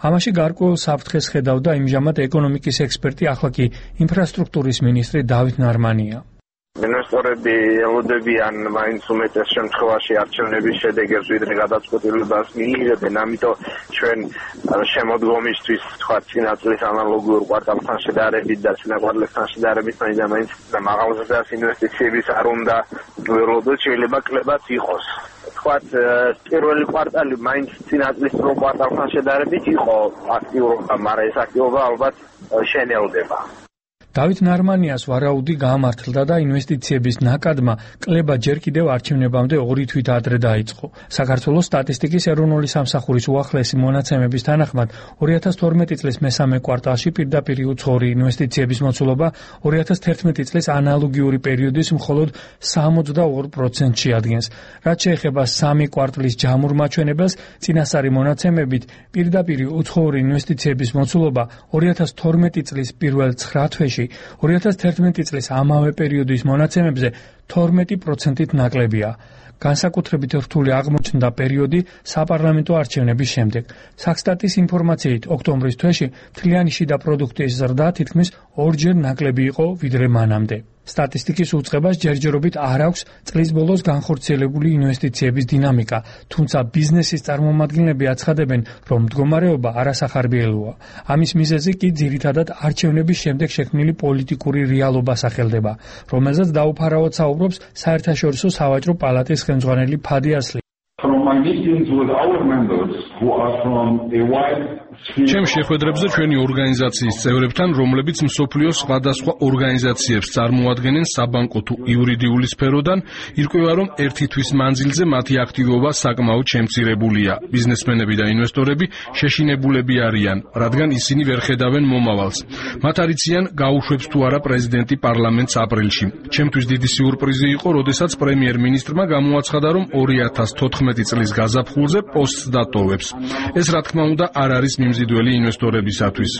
ამაში გარკვეულ საფრთხეს ხედავდა იმჟამად ეკონომიკის ექსპერტი, ახლა კი ინფრასტრუქტურის მინისტრი დავით ნარმანია. ინვესტორები ელოდებიან მაინც უმეტეს შემთხვევაში არჩევნების შედეგებს, ვიდრე გადაწყვეტილებას მიიღებენ, ამიტომ ჩვენ შემოდგომისთვის თქვა წინა წლის ანალოგიურ კვარტალთან შედარებით და წინა კვარტალთან შედარებით მაინც და მაინც მაღალზრდას ინვესტიციების არ უნდა ველოდოთ, შეიძლება კლებაც იყოს. თქვათ პირველი კვარტალი მაინც წინა წლის პირველ კვარტალთან შედარებით იყო აქტიურობა, მაგრამ ეს აქტიურობა ალბათ შენელდება. დავით ნარმანიას ვარაუდი გაამართლდა და ინვესტიციების ნაკადმა კლება ჯერ კიდევ არჩევნებამდე ორი თვით ადრე დაიწყო. საქართველოს სტატისტიკის ეროვნული სამსახურის უახლესი მონაცემების თანახმად ორი ათას თორმეტი წლის მესამე კვარტალში პირდაპირ უცხოური ინვესტიციების მოცულობა ორი ათას თერთმეტი წლის ანალოგიური პერიოდის მხოლოდ სამოცდაორ პროცენტში ადგენს. რაც შეეხება სამი კვარტლის ჯამურ მაჩვენებელს, წინასწარი მონაცემებით პირდაპირ უცხოური ინვესტიციების მოცულობა ორი ათას თორმეტი წლის პირველ ცხრა თვეში ორი ათას თერთმეტი წლის ამავე პერიოდის მონაცემებზე თორმეტი პროცენტით ნაკლებია. განსაკუთრებით რთული აღმოჩნდა პერიოდი საპარლამენტო არჩევნების შემდეგ. საქსტატის ინფორმაციით, ოქტომბრის თვეში მთლიანი შიდა პროდუქტის ზრდა თითქმის ორჯერ ნაკლები იყო ვიდრე მანამდე. სტატისტიკის უწყებას ჯერჯერობით არ აქვს წლის ბოლოს განხორციელებული ინვესტიციების დინამიკა, თუმცა ბიზნესის წარმომადგენლები აცხადებენ, რომ მდგომარეობა არასახარბიელოა. ამის მიზეზი კი ძირითადად არჩევნების შემდეგ შექმნილი პოლიტიკური რეალობა სახელდება, რომელზეც დაუფარავად საუბრობს საერთაშორისო სავაჭრო პალატის ხელმძღვანელი ფადი ასლი. From my meetings with our members who are from a wide ჩემ შეხვედრებზე ჩვენი ორგანიზაციის წევრებთან, რომლებიც მსოფლიოს სხვადასხვა ორგანიზაციებს წარმოადგენენ საბანკო თუ იურიდიული სფეროდან, ირკვევა, რომ ერთი თვის მანძილზე მათი აქტივობა საკმაოდ შემცირებულია. ბიზნესმენები და ინვესტორები შეშინებულები არიან, რადგან ისინი ვერ ხედავენ მომავალს. მათ არ იციან, გაუშვებს თუ არა პრეზიდენტი პარლამენტს აპრილში. ჩემთვის დიდი სიურპრიზი იყო, როდესაც პრემიერ-მინისტრმა გამოაცხადა, რომ ორი ათას თოთხმეტი წლის გაზაფხულზე პოსტს დატოვებს. ეს რა თქმა უნდა არ არის მიმზიდველი ინვესტორებისათვის.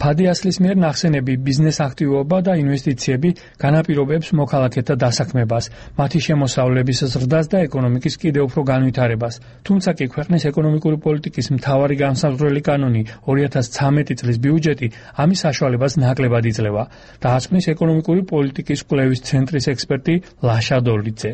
ფადი ასლის მიერ ნახსენები ბიზნეს აქტივობა და ინვესტიციები განაპირობებს მოქალაქეთა დასაქმებას, მათი შემოსავლების ზრდას და ეკონომიკის კიდევ უფრო განვითარებას. თუმცა კი ქვეყნის ეკონომიკური პოლიტიკის მთავარი განსაზღვრელი კანონი ორი ათას ცამეტი წლის ბიუჯეტი ამის საშუალებას ნაკლებად იძლევა. დაასკვნის ეკონომიკური პოლიტიკის კვლევის ცენტრის ექსპერტი ლაშა დოლიძე.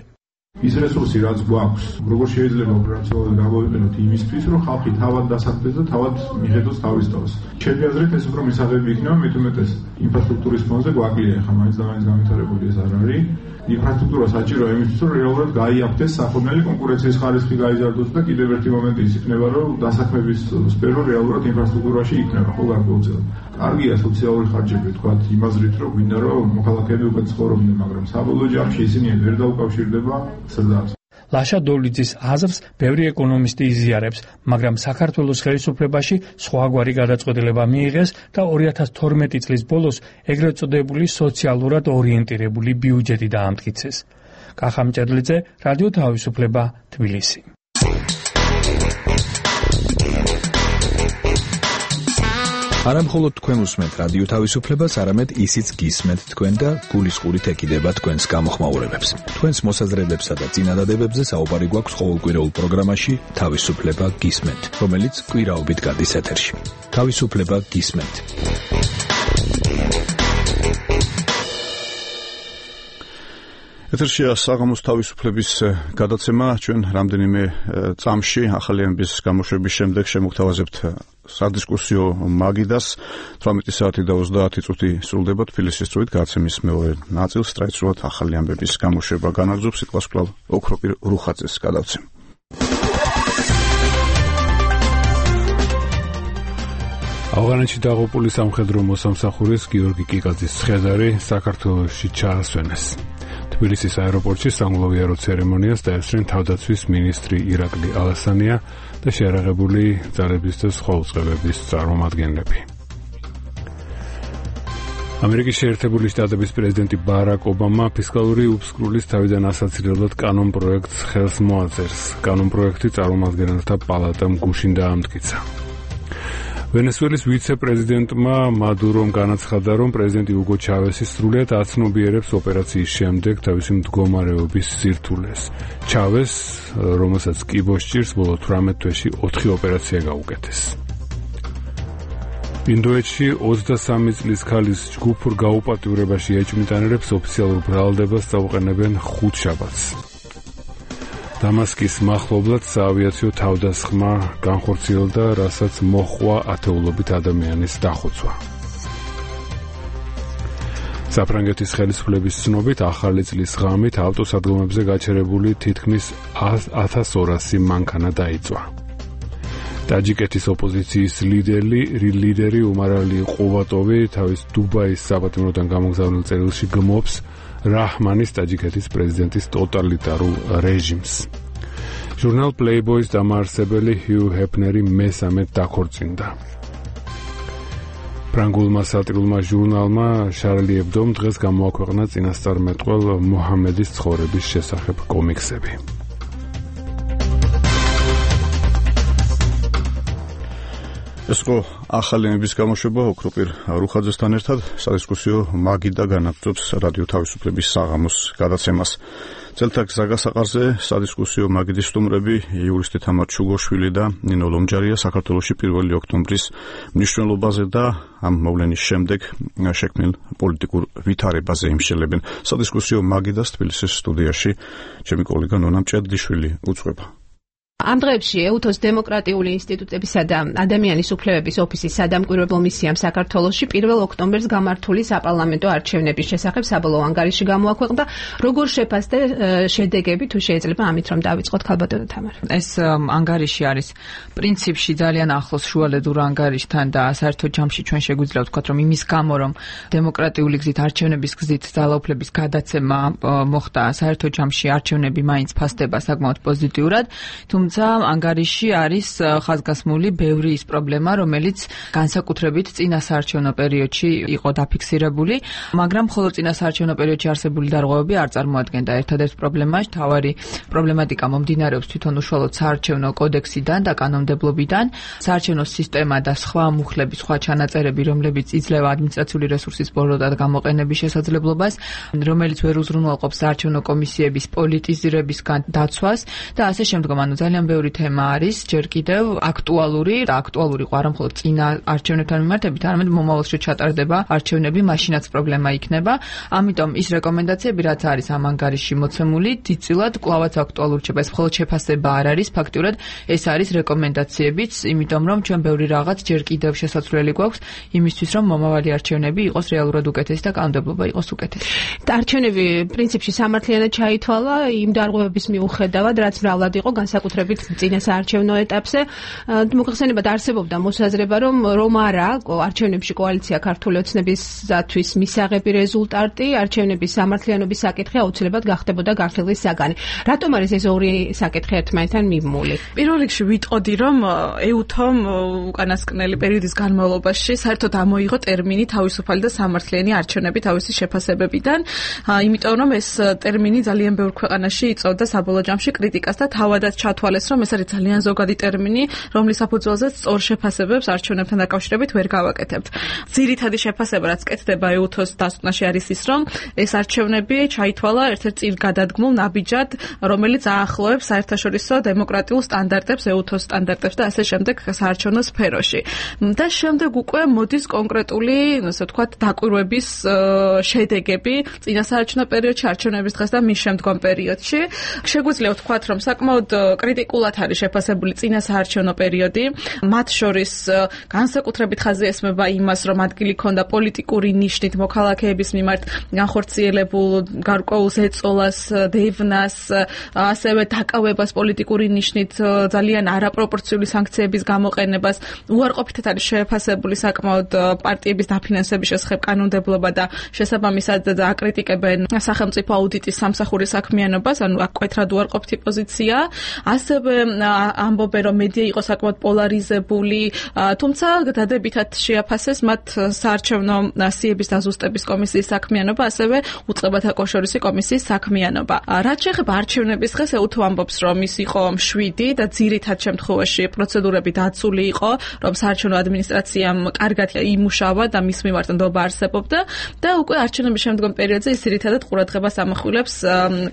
ის რესურსი რაც გვაქვს, როგორ შეიძლება ოპერაციულად გამოვიყენოთ იმისთვის, რომ ხალხი თავად დასახლდეს და თავად მიხედოს თავის თავს. ჩემი აზრით ეს უფრო მისაღები იქნება, მით უმეტეს ინფრასტრუქტურის ფონზე გვაკლია, ხა მაინც და მაინც განვითარებული ეს არ არის. ინფრასტრუქტურა საჭიროა იმისთვის, რომ რეალურად გაიაფთეს სახოვნელი კონკურენციის ხარისხი გაიზარდოს და კიდევ ერთი მომენტი ის იქნება, რომ დასაქმების სფერო რეალურად ინფრასტრუქტურაში იქნება, ხო გარკვეულწილად. კარგია სოციალური ხარჯები, თქვათ, იმაზრით, რომ გვინდა რომ მოქალაქეები უკვე ცხოვრობდნენ, მაგრამ საბოლოო ჯამში ისინი ვერ დაუკავშირდება ზრდას. ლაშა დოლიძის აზრს ბევრი ეკონომისტი იზიარებს, მაგრამ საქართველოს ხელისუფლებაში სხვაგვარი გადაწყვეტილება მიიღეს და ორი ათას თორმეტი წლის ბოლოს ეგრეთ წოდებული სოციალურად ორიენტირებული ბიუჯეტი დაამტკიცეს. კახა მჭედლიძე, რადიო თავისუფლება, თბილისი. არა მხოლოდ თქვენ უსმენთ რადიო თავისუფლებას, არამედ ისიც გისმენთ თქვენ და გულისყურით ეკიდება თქვენს გამოხმაურებებს. თქვენს მოსაზრებებსა და წინადადებებზე საუბარი გვაქვს ყოველკვირეულ პროგრამაში თავისუფლება გისმენთ, რომელიც კვირაობით გადის ეთერში. თავისუფლება გისმენთ. ეთერშია საღამოს თავისუფლების გადაცემა. ჩვენ რამდენიმე წამში ახალიანების გამოშვების შემდეგ შემოგთავაზებთ სადისკუსიო მაგიდას. თვრამეტი საათი და ოცდაათი წუთი სრულდება თბილისის დროით. გადაცემის მეორე ნაწილს ტრადიციულად ახალი ამბების გამოშვება განაგრძობს. სიტყვას კვლავ ოქროპირ რუხაძეს გადავცემ. ავღანეთში დაღუპული სამხედრო მოსამსახურის გიორგი კიკაძის ცხედარი საქართველოში ჩაასვენეს. თბილისის აეროპორტში სამგლოვიარო ცერემონიას დაესწრნენ თავდაცვის მინისტრი ირაკლი ალასანია და შეარაღებული ძალების და სხვა უწყებების წარმომადგენლები. ამერიკის შეერთებული შტატების პრეზიდენტი ბარაკ ობამა ფისკალური უფსკრულის თავიდან ასაცილებლად კანონ პროექტს ხელს მოაწერს. კანონ პროექტი წარმომადგენელთა პალატამ გუშინ დაამტკიცა. ვენესუელის ვიცე-პრეზიდენტმა მადურომ განაცხადა, რომ პრეზიდენტი უგო ჩავესი სრულიად აცნობიერებს ოპერაციის შემდეგ თავისი მდგომარეობის სირთულეს. ჩავეს, რომელსაც კიბოს ჭირს, ბოლო თვრამეტ თვეში ოთხი ოპერაცია გაუკეთეს. ინდოეთში ოცდასამი წლის ქალის ჯგუფურ გაუპატიურებაში ეჭვმიტანილებს ოფიციალურ ბრალდებას წაუყენებენ ხუთშაბათს. დამასკის მახლობლად საავიაციო თავდასხმა განხორციელდა, რასაც მოჰყვა ათეულობით ადამიანის დახოცვა. საფრანგეთის ხელისუფლების ცნობით, ახალი წლის ღამით ავტოსადგომებზე გაჩერებული თითქმის ათას ორასი მანქანა დაიწვა. ტაჯიკეთის ოპოზიციის ლიდერი, ლიდერი უმარალი ყუვატოვი თავის დუბაის საპატიმროდან გამოგზავნილ წერილში გმობს რაჰმანის ტაჯიკეთის პრეზიდენტის ტოტალიტარულ რეჟიმს. ჟურნალ Playboy-ის დამაარსებელი ჰიუ ჰეფნერი მესამედ დაქორწინდა. ფრანგულმა სატირულმა ჟურნალმა Charlie Hebdo-მ დღეს გამოაქვეყნა წინასწარმეტყველ მუჰამედის ცხოვრების შესახებ კომიქსები. ეს იყო ახალიანების გამოშვება ოქროპირ რუხაძესთან ერთად. სადისკუსიო მაგიდა განაგრძობს რადიო თავისუფლების საღამოს გადაცემას. წელთა გზაგასაყარზე სადისკუსიო მაგიდის სტუმრები იურისტი თამარ ჩუგოშვილი და ნინო ლომჯარია საქართველოში პირველი ოქტომბრის მნიშვნელობაზე და ამ მოვლენის შემდეგ შექმნილ პოლიტიკურ ვითარებაზე იმშელებენ. სადისკუსიო მაგიდას თბილისის სტუდიაში ჩემი კოლეგა ნონა მჭედლიშვილი უძღვება. ამ დღეებში ეუთოს დემოკრატიული ინსტიტუტებისა და ადამიანის უფლებების ოფისის სადამკვირვებლო მისიამ საქართველოში პირველ ოქტომბერს გამართული საპარლამენტო არჩევნების შესახებ საბოლოო ანგარიში გამოაქვეყნა. როგორ შეფასდა შედეგები, თუ შეიძლება ამით რომ დავიწყოთ, ქალბატონო თამარ? ეს ანგარიში არის პრინციპში ძალიან ახლოს შუალედურ ანგარიშთან და საერთო ჯამში ჩვენ შეგვიძლია ვთქვათ, რომ იმის გამო, რომ დემოკრატიული გზით არჩევნების გზით ძალაუფლების გადაცემა მოხდა, საერთო ჯამში არჩევნები მაინც ფასდება საკმაოდ პოზიტიურად. თუმცა ანგარიში არის ხაზგასმული ბევრი ის პრობლემა, რომელიც განსაკუთრებით წინა საარჩევნო პერიოდში იყო დაფიქსირებული, მაგრამ მხოლოდ წინა საარჩევნო პერიოდში არსებული დარღვევები არ წარმოადგენდა ერთადერთ პრობლემას. თავარი პრობლემატიკა მომდინარეობს თვითონ უშუალოდ საარჩევნო კოდექსიდან და კანონმდებლობიდან, საარჩევნო სისტემა და სხვა მუხლები, სხვა ჩანაწერები, რომლებიც იძლევა ადმინისტრაციული რესურსის ბოლოდად გამოყენების შესაძლებლობას, რომელიც ვერ უზრუნველყოფს საარჩევნო კომისიების პოლიტიზირებისგან დაცვას და ასე შემდგომ. ანუ ძალიან ბევრი თემა არის ჯერ კიდევ აქტუალური და აქტუალური ყო არა მხოლოდ წინა არჩევნებთან მიმართებით, არამედ მომავალში ჩატარდება არჩევნები, მაშინაც პრობლემა იქნება. ამიტომ ის რეკომენდაციები, რაც არის ამ ანგარიში მოცემული, დიდწილად კვლავაც აქტუალური რჩება. ეს მხოლოდ შეფასება არ არის, ფაქტიურად ეს არის რეკომენდაციებიც, იმიტომ რომ ჩვენ ბევრი რაღაც ჯერ კიდევ შესაძლებელი გვაქვს იმისთვის, რომ მომავალი არჩევნები იყოს რეალურად უკეთესი და კანონმდებლობა იყოს უკეთესი. არჩევნები პრინციპში სამართლიანად ჩაითვალა იმ დარღვევების მიუხედავად, რაც მრავლად იყო განსაკუთრებით წინა საარჩევნო ეტაპზე. მოხსენებად არსებობდა მოსაზრება, რომ რომ არა არჩევნებში კოალიცია ქართული ოცნებისათვის მისაღები რეზულტატი, არჩევნების სამართლიანობის საკითხი აუცილებლად გახდებოდა გართილვის საგანი. რატომ არის ეს ორი საკითხი ერთმანეთთან მიმული? პირველ რიგში ვიტყოდი, რომ ეუთომ უკანასკნელი პერიოდის განმავლობაში საერთოდ ამოიღო ტერმინი თავისუფალი და სამართლიანი არჩევნები თავისი შეფასებებიდან, იმიტომ რომ ეს ტერმინი ძალიან ბევრ ქვეყანაში იწვევდა საბოლოო ჯამში კრიტიკას და თავადაც ჩათვალეს ჩაითვალეს, რომ ეს არის ძალიან ზოგადი ტერმინი, რომლის საფუძველზეც სწორ შეფასებებს არჩევნებთან დაკავშირებით ვერ გავაკეთებთ. ძირითადი შეფასება, რაც კეთდება ეუთოს დასკვნაში არის ის, რომ ეს არჩევნები ჩაითვალა ერთ-ერთ წინ გადადგმულ ნაბიჯად, რომელიც აახლოებს საერთაშორისო დემოკრატიულ სტანდარტებს, ეუთოს სტანდარტებს და ასე შემდეგ საარჩევნო სფეროში. და შემდეგ უკვე მოდის კონკრეტული, ასე ვთქვათ, დაკვირვების შედეგები წინასაარჩევნო პერიოდში, არჩევნების დღეს და მის შემდგომ პერიოდში. შეგვიძლია ვთქვათ, რომ საკმაოდ კრიტიკულად არის შეფასებული წინასაარჩევნო პერიოდი. მათ შორის განსაკუთრებით ხაზი ესმება იმას, რომ ადგილი ქონდა პოლიტიკური ნიშნით მოქალაქეების მიმართ განხორციელებულ გარკვეულ ზეწოლას, დევნას, ასევე დაკავებას პოლიტიკური ნიშნით ძალიან არაპროპორციული სანქციების გამოყენებას. უარყოფითად არის შეფასებული საკმაოდ პარტიების დაფინანსების შესახებ კანონმდებლობა და შესაბამისად აკრიტიკებენ სახელმწიფო აუდიტის სამსახურის საქმიანობას, ანუ აქ მკვეთრად უარყოფითი პოზიცია. ასევე ამბობენ, რომ მედია იყო საკმაოდ პოლარიზებული, თუმცა დადებითად შეაფასეს მათ საარჩევნო სიების დაზუსტების კომისიის საქმიანობა, ასევე უწყებათა კავშირის კომისიის საქმიანობა. რაც შეეხება არჩევნების დღეს, ეუთო ამბობს, რომ ის იყო მშვიდი და ძირითად შემთხვევაში პროცედურები დაცული იყო, რომ საარჩევნო ადმინისტრაციამ კარგად იმუშავა და მის მიმართ ნდობა არსებობდა და უკვე არჩევნების შემდგომ პერიოდზე ის ძირითადად ყურადღებას ამახვილებს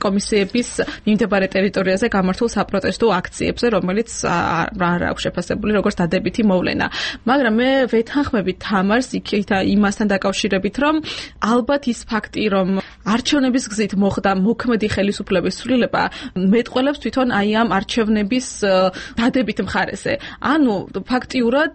კომისიების მიმდებარე ტერიტორიაზე გამართულ საპროტესტო აქციებზე, რომელიც არ აქვს შეფასებული როგორც დადებითი მოვლენა. მაგრამ მე ვეთანხმები თამარს იქით იმასთან დაკავშირებით, რომ ალბათ ის ფაქტი, რომ არჩევნების გზით მოხდა მოქმედი ხელისუფლების ცვლილება, მეტყველებს თვითონ აი ამ არჩევნების დადებით მხარეზე. ანუ ფაქტიურად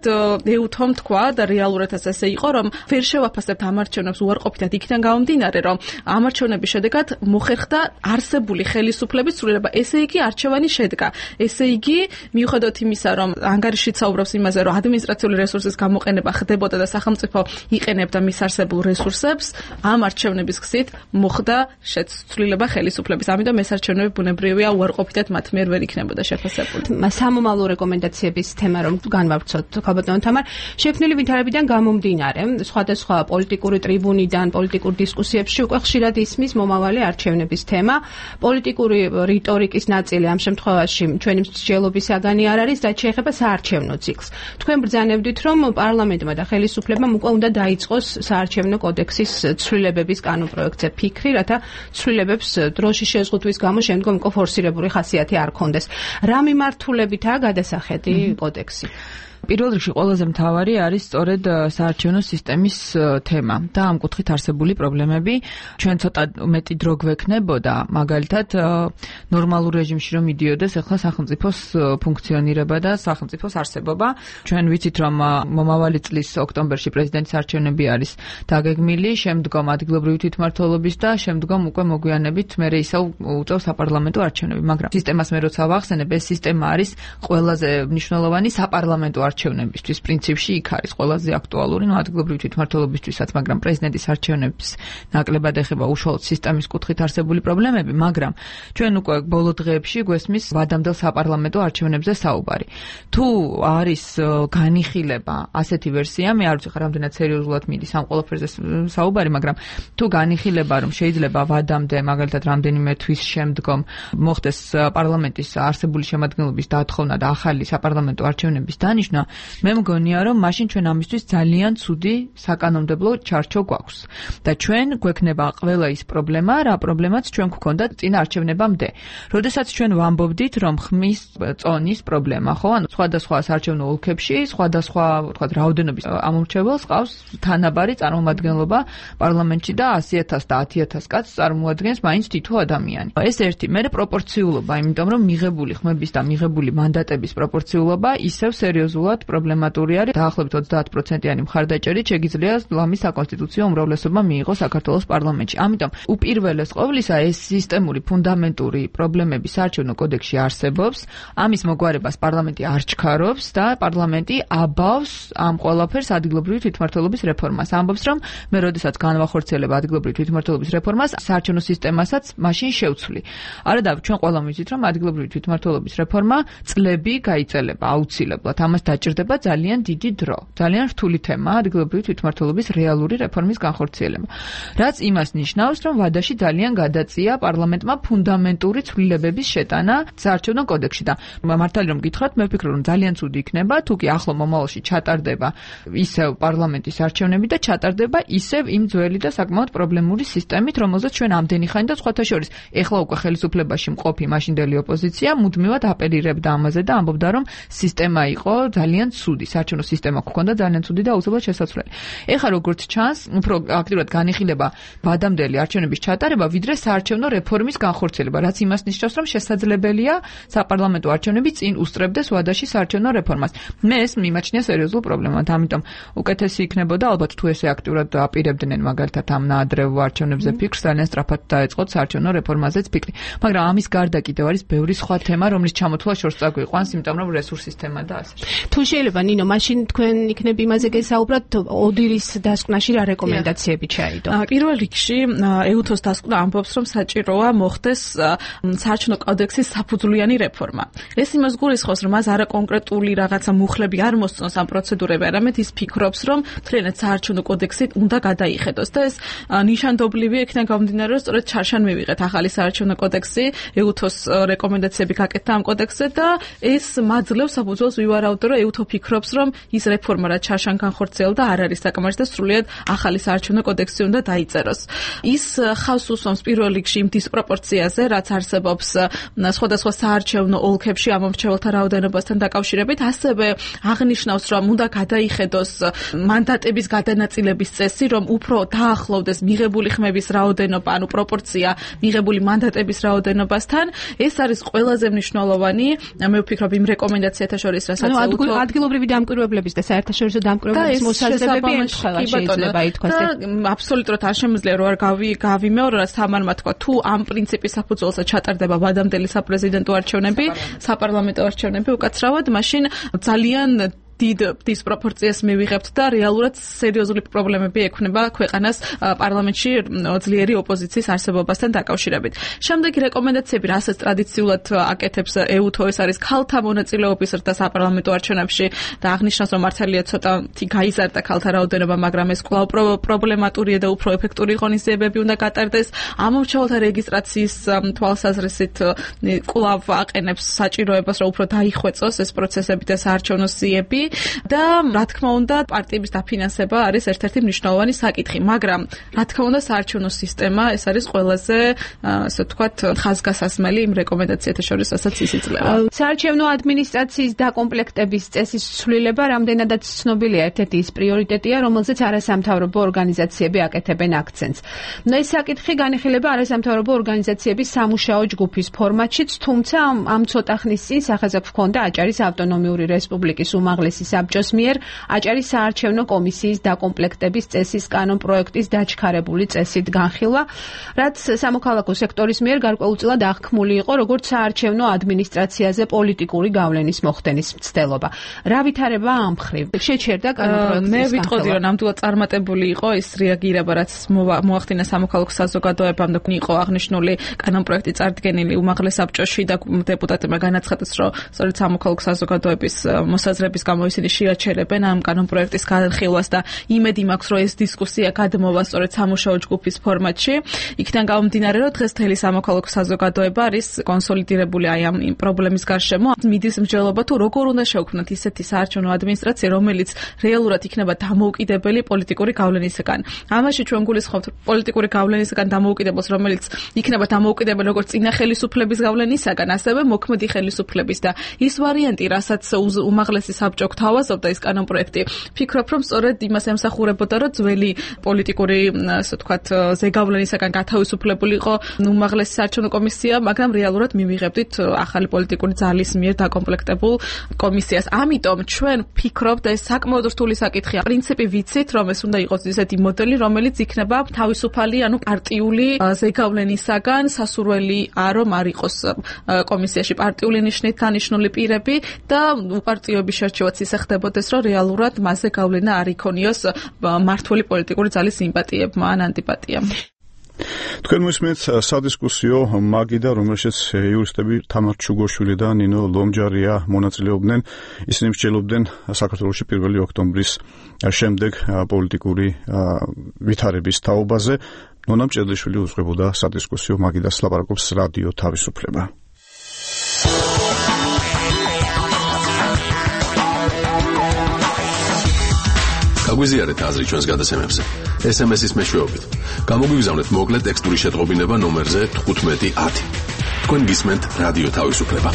ეუთომ თქვა და რეალურადაც ესე იყო, რომ ვერ შევაფასებთ ამ არჩევნებს უარყოფითად იქიდან გამომდინარე, რომ ამ არჩევნების შედეგად მოხერხდა არსებული ხელისუფლების ცვლილება. ესე იგი არჩევანი შედგა. ესე იგი, მიუხედავად იმისა, რომ ანგარიში საუბრობს იმაზე, რომ ადმინისტრაციული რესურსის გამოყენება ხდებოდა და სახელმწიფო იყენებდა მის არსებულ რესურსებს, ამ არჩევნების გზით მოხდა შეცვლილება ხელისუფლების. ამიტომ ეს არჩევნები ბუნებრივია უარყოფითად მათ მიერ ვერ იქნებოდა შეფასებული. სამომავლო რეკომენდაციების თემა რომ განვავრცოთ, ხალბატონ თამარ, შექმნილი ვითარებიდან გამომდინარე, სხვადასხვა პოლიტიკური ტრიბუნიდან, პოლიტიკურ დისკუსიებში უკვე ხშირად ისმის მომავალი არჩევნების თემა. პოლიტიკური რიტორიკის ნაწილი ამ შემთხვევაში ჩვენი მსჯელობის საგანი არ არის და შეეხება საარჩევნო ციკლს. თქვენ ბრძანებდით, რომ პარლამენტმა და ხელისუფლებამ უკვე უნდა დაიწყოს საარჩევნო კოდექსის ცვლილებების კანონპროექტზე ფიქრი, რათა ცვლილებებს დროშის შეზღუდვის გამო შემდგომ უკვე ფორსირებული ხასიათი არ ქონდეს. რა მიმართულებითაა გადასახედი კოდექსი? პირველ რიგში ყველაზე მთავარი არის სწორედ საარჩევნო სისტემის თემა და ამ კუთხით არსებული პრობლემები. ჩვენ ცოტა მეტი დრო გვექნებოდა, მაგალითად, ნორმალურ რეჟიმში რომ მიდიოდეს ახლა სახელმწიფოს ფუნქციონირება და სახელმწიფოს არსებობა. ჩვენ ვიცით, რომ მომავალი წლის ოქტომბერში პრეზიდენტის არჩევნები არის დაგეგმილი, შემდგომ ადგილობრივი თვითმმართველობის და შემდგომ უკვე მოგვიანებით მერე ისევ უწევს საპარლამენტო არჩევნები, მაგრამ სისტემას მე როცა ვახსენებ, ეს სისტემა არის ყველაზე მნიშვნელოვანი საპარლამენტო არჩევნებისთვის. პრინციპში იქ არის ყველაზე აქტუალური, ნუ ადგილობრივი თვითმმართველობისთვისაც, მაგრამ პრეზიდენტის არჩევნების ნაკლებად ეხება უშუალოდ სისტემის კუთხით არსებული პრობლემები, მაგრამ ჩვენ უკვე ბოლო დღეებში გვესმის ვადამდელ საპარლამენტო არჩევნებზე საუბარი. თუ არის განიხილება, ასეთი ვერსია, მე არ ვიცი ხარ რამდენად სერიოზულად მიდის ამ ყველაფერზე საუბარი, მაგრამ თუ განიხილება, რომ შეიძლება ვადამდე, მაგალითად, რამდენიმე თვის შემდგომ მოხდეს პარლამენტის არსებული შემადგენლობის დათხოვნა და ახალი საპარლამენტო არჩევნების დანიშნა, მე მგონია, რომ მაშინ ჩვენ ამისთვის ძალიან ცუდი საკანონმდებლო ჩარჩო გვაქვს. და ჩვენ გვექნება ყველა ის პრობლემა, რა პრობლემაც ჩვენ გვქონდა წინა არჩევნებამდე. როდესაც ჩვენ ვამბობდით, რომ ხმის წონის პრობლემა, ხო, ანუ სხვადასხვა საარჩევნო ოლქებში, სხვადასხვა, ვთქვათ, რაოდენობის ამომრჩეველს ყავს თანაბარი წარმომადგენლობა პარლამენტში და ასი ათას და ათი ათას კაცს წარმოადგენს მაინც თითო ადამიანი. ეს ერთი, მერე პროპორციულობა, იმიტომ რომ მიღებული ხმების და მიღებული მანდატების პროპორციულობა ისევ სერიოზულად პრობლემატური არის. დაახლოებით ოცდაათ პროცენტიანი მხარდაჭერით შეგიძლია ლამის საკონსტიტუციო უმრავლესობა მიიღოს საქართველოს პარლამენტში. ამიტომ უპირველეს ყოვლისა ეს სისტემური ფუნდამენტური პრობლემები საარჩევნო კოდექსში არსებობს. ამის მოგვარებას პარლამენტი არ ჩქარობს და პარლამენტი აბავს ამ ყველაფერს ადგილობრივი თვითმმართველობის რეფორმას. ამბობს, რომ მე როდესაც განვახორციელებ ადგილობრივი თვითმმართველობის რეფორმას, საარჩევნო სისტემასაც მაშინ შევცვლი. არადა ჩვენ ყველამ ვიცით, რომ ადგილობრივი თვითმმართველობის რეფორმა წლები გაიწელება აუცილებლად. ამას დაჭირდება ძალიან დიდი დრო. ძალიან რთული თემაა ადგილობრივი თვითმმართველობის რეალური რეფორმის განხორციელება. რაც იმას ნიშნავს, რომ ვადაში ძალიან გადაწია პარლამენტმა ფუნდამენტური ცვლილებების შეტანა საარჩევნო კოდექსში და მართალი რომ გითხრათ, მე ვფიქრობ, რომ ძალიან ცუდი იქნება, თუ კი ახლო მომავალში ჩატარდება ისევ პარლამენტის არჩევნები და ჩატარდება ისევ იმ ძველი და საკმაოდ პრობლემური სისტემით, რომელზეც ჩვენ ამდენი ხანი და სხვათა შორის ეხლა უკვე ხელისუფლებაში მყოფი მაშინდელი ოპოზიცია მუდმივად აპელირებდა ამაზე და ამბობდა, რომ სისტემა იყო ძალიან ცუდი, საარჩევნო სისტემა გქონდა ძალიან ცუდი და აუცილებლად შესაძლებელი. ეხლა როგორც ჩანს, უფრო აქტიურად განიხილება ვადამდელი არჩევნების ჩატარება, ვიდრე საარჩევნო რეფორმის განხორციელება, რაც იმას ნიშნავს, რომ შესაძლებელია საპარლამენტო არჩევნები წინ უსწრებდეს ვადაში საარჩევნო რეფორმას. მე ეს მიმაჩნია სერიოზულ პრობლემად, ამიტომ უკეთესი იქნებოდა ალბათ თუ ესე აქტიურად აპირებდნენ მაგალითად ამ ნაადრევ არჩევნებზე ფიქრს, ძალიან სწრაფად დაეწყოთ საარჩევნო რეფორმაზეც ფიქრი. მაგრამ ამის გარდა კიდევ არის ბევრი სხვა თემა, რომლის ჩამოთვლა შორს წაგვიყვანს, იმიტომ რომ რესურსის თემა და ასე. თუ შეიძლება ნინო, მაშინ თქვენ იქნებ იმაზე გესაუბრათ, ოდირის დასკვნაში რა რეკომენდაციები ჩაიდო? პირველ რიგში ეუთოს დასკვნა ამბობს, რომ საჭიროა მოხდეს საარჩევნო კოდექსის საფუძვლიანი რეფორმა. ეს იმას გულისხმობს, რომ მას არა კონკრეტული რაღაცა მუხლები არ მოსწონს ამ პროცედურები, არამედ ის ფიქრობს, რომ მთლიანად საარჩევნო კოდექსი უნდა გადაიხედოს და ეს ნიშანდობლივი იქნება გამომდინარე, რომ სწორედ ჩარშან მივიღეთ ახალი საარჩევნო კოდექსი, ეუთოს რეკომენდაციები გაკეთდა ამ კოდექსზე და ეს მაძლევს საფუძველს ვივარაუდო, რომ ეუთო ფიქრობს, რომ ის რეფორმა რაც ჩარშან განხორციელდა არ არის საკმარისი და სრულიად ახალი საარჩევნო კოდექსი უნდა დაიწეროს. ის ხავს უსვამს პირველ რიგში იმ დისპროპორციაზე, რაც არსებობს სხვადასხვა საარჩევნო ოლქებში ამ მომრჩეველთა რაოდენობასთან დაკავშირებით, ასევე აღნიშნავს, რომ უნდა გადაიხედოს მანდატების გადანაწილების წესი, რომ უფრო დაახლოვდეს მიღებული ხმების რაოდენობა, ანუ პროპორცია მიღებული მანდატების რაოდენობასთან. ეს არის ყველაზე მნიშვნელოვანი, მე ვფიქრობ იმ რეკომენდაციათა შორის, რასაც ეუთო ადგილობრივი დამკვირვებლების და საერთაშორისო დამკვირვებლების მოსაზრებები ემთხვევა შეიძლება ითქვას. და აბსოლუტურად არ შემიძლია რომ არ გავი გავიმეორო, რაც თამარმა თქვა, თუ ამ პრინციპის საფუძველზე ჩატარდება ვადამდელი საპრეზიდენტო არჩევნები, საპარლამენტო არჩევნები უკაცრავად, მაშინ ძალიან დიდ დისპროპორციას მივიღებთ და რეალურად სერიოზული პრობლემები ექნება ქვეყანას პარლამენტში ძლიერი ოპოზიციის არსებობასთან დაკავშირებით. შემდეგი რეკომენდაციები, რასაც ტრადიციულად აკეთებს ეუთო, ეს არის ქალთა მონაწილეობის ზრდა საპარლამენტო არჩევნებში და აღნიშნავს, რომ მართალია ცოტათი გაიზარდა ქალთა რაოდენობა, მაგრამ ეს კვლავ პრობლემატურია და უფრო ეფექტური ღონისძიებები უნდა გატარდეს. ამომრჩეველთა რეგისტრაციის თვალსაზრისით კვლავ აყენებს საჭიროებას, რომ უფრო დაიხვეწოს ეს პროცესები და საარჩევნო სიები. და რა თქმა უნდა პარტიების დაფინანსება არის ერთ-ერთი მნიშვნელოვანი საკითხი, მაგრამ რა თქმა უნდა საარჩევნო სისტემა ეს არის ყველაზე ასე ვთქვათ ხაზგასასმელი იმ რეკომენდაციათა შორის, რასაც ის იძლევა. საარჩევნო ადმინისტრაციის დაკომპლექტების წესის ცვლილება რამდენადაც ცნობილია, ერთ-ერთი ის პრიორიტეტია, რომელზეც არასამთავრობო ორგანიზაციები აკეთებენ აქცენტს. ეს საკითხი განიხილება არასამთავრობო ორგანიზაციების სამუშაო ჯგუფის ფორმატშიც, თუმცა ამ ცოტა ხნის წინ სახელმწიფო ჰქონდა აჭარის ავტონომიური რესპუბლიკის უმაღლესი საბჭოს მიერ აჭარის საარჩევნო კომისიის დაკომპლექტების წესის კანონპროექტის დაჩქარებული წესით განხილვა, რაც სამოქალაქო სექტორის მიერ გარკვეულწილად აღქმული იყო როგორც საარჩევნო ადმინისტრაციაზე პოლიტიკური გავლენის მოხდენის მცდელობა. რა ვითარება ამ მხრივ? შეჩერდა კანონპროექტის მე ვიტყოდი, რომ ნამდვილად წარმატებული იყო ის რეაგირება, რაც მოახდინა სამოქალაქო საზოგადოებამ და იყო აღნიშნული კანონპროექტი წარდგენილი უმაღლეს საბჭოში და დეპუტატებმა განაცხადეს, რომ სწორედ სამოქალაქო საზოგადოების მოსაზრების გამო ისინი შეაჩერებენ ამ კანონპროექტის განხილვას და იმედი მაქვს, რომ ეს დისკუსია გადმოვა სწორედ სამუშაო ჯგუფის ფორმატში. იქიდან გამომდინარე, რომ დღეს მთელი სამოქალაქო საზოგადოება არის კონსოლიდირებული აი ამ პრობლემის გარშემო. მიდის მსჯელობა თუ როგორ უნდა შევქმნათ ისეთი საარჩევნო ადმინისტრაცია, რომელიც რეალურად იქნება დამოუკიდებელი პოლიტიკური გავლენისგან. ამაში ჩვენ გულისხმობთ პოლიტიკური გავლენისგან დამოუკიდებელს, რომელიც იქნება დამოუკიდებელი როგორც წინა ხელისუფლების გავლენისგან, ასევე მოქმედი ხელისუფლების და ის ვარიანტი, რასაც უმაღლესი საბჭო გთავაზობდა ის კანონპროექტი, ფიქრობ, რომ სწორედ იმას ემსახურებოდა, რომ ძველი პოლიტიკური, ასე ვთქვათ, ზეგავლენისგან გათავისუფლებული იყო უმაღლესი საარჩევნო კომისია, მაგრამ რეალურად მივიღებდით ახალი პოლიტიკური ძალის მიერ დაკომპლექტებულ კომისიას. ამიტომ ჩვენ ფიქრობთ და ეს საკმაოდ რთული საკითხია. პრინციპი ვიცით, რომ ეს უნდა იყოს ისეთი მოდელი, რომელიც იქნება თავისუფალი, ანუ პარტიული ზეგავლენისგან სასურველი რომ არ იყოს კომისიაში პარტიული ნიშნით დანიშნული პირები და უპარტიოების შერჩევაც ისე ხდებოდეს, რომ რეალურად მასზე გავლენა არ იქონიოს მმართველი პოლიტიკური ძალის სიმპათიებმა ან ანტიპათიამ. თქვენ მოსმენთ სადისკუსიო მაგიდა, რომელშიც იურისტები თამარ ჩუგოშვილი და ნინო ლომჯარია მონაწილეობდნენ. ისინი მსჯელობდნენ საქართველოში პირველი ოქტომბრის შემდეგ პოლიტიკური ვითარების თაობაზე. ნონა მჭედლიშვილი უძღვებოდა სადისკუსიო მაგიდას, ლაპარაკობს რადიო თავისუფლება. გაგვიზიარეთ აზრი ჩვენს გადაცემებზე. ეს ემ ეს-ის მეშვეობით. გამოგვიგზავნეთ მოკლე ტექსტური შეტყობინება ნომერზე თხუთმეტი ათი. თქვენ გისმენთ რადიო თავისუფლება.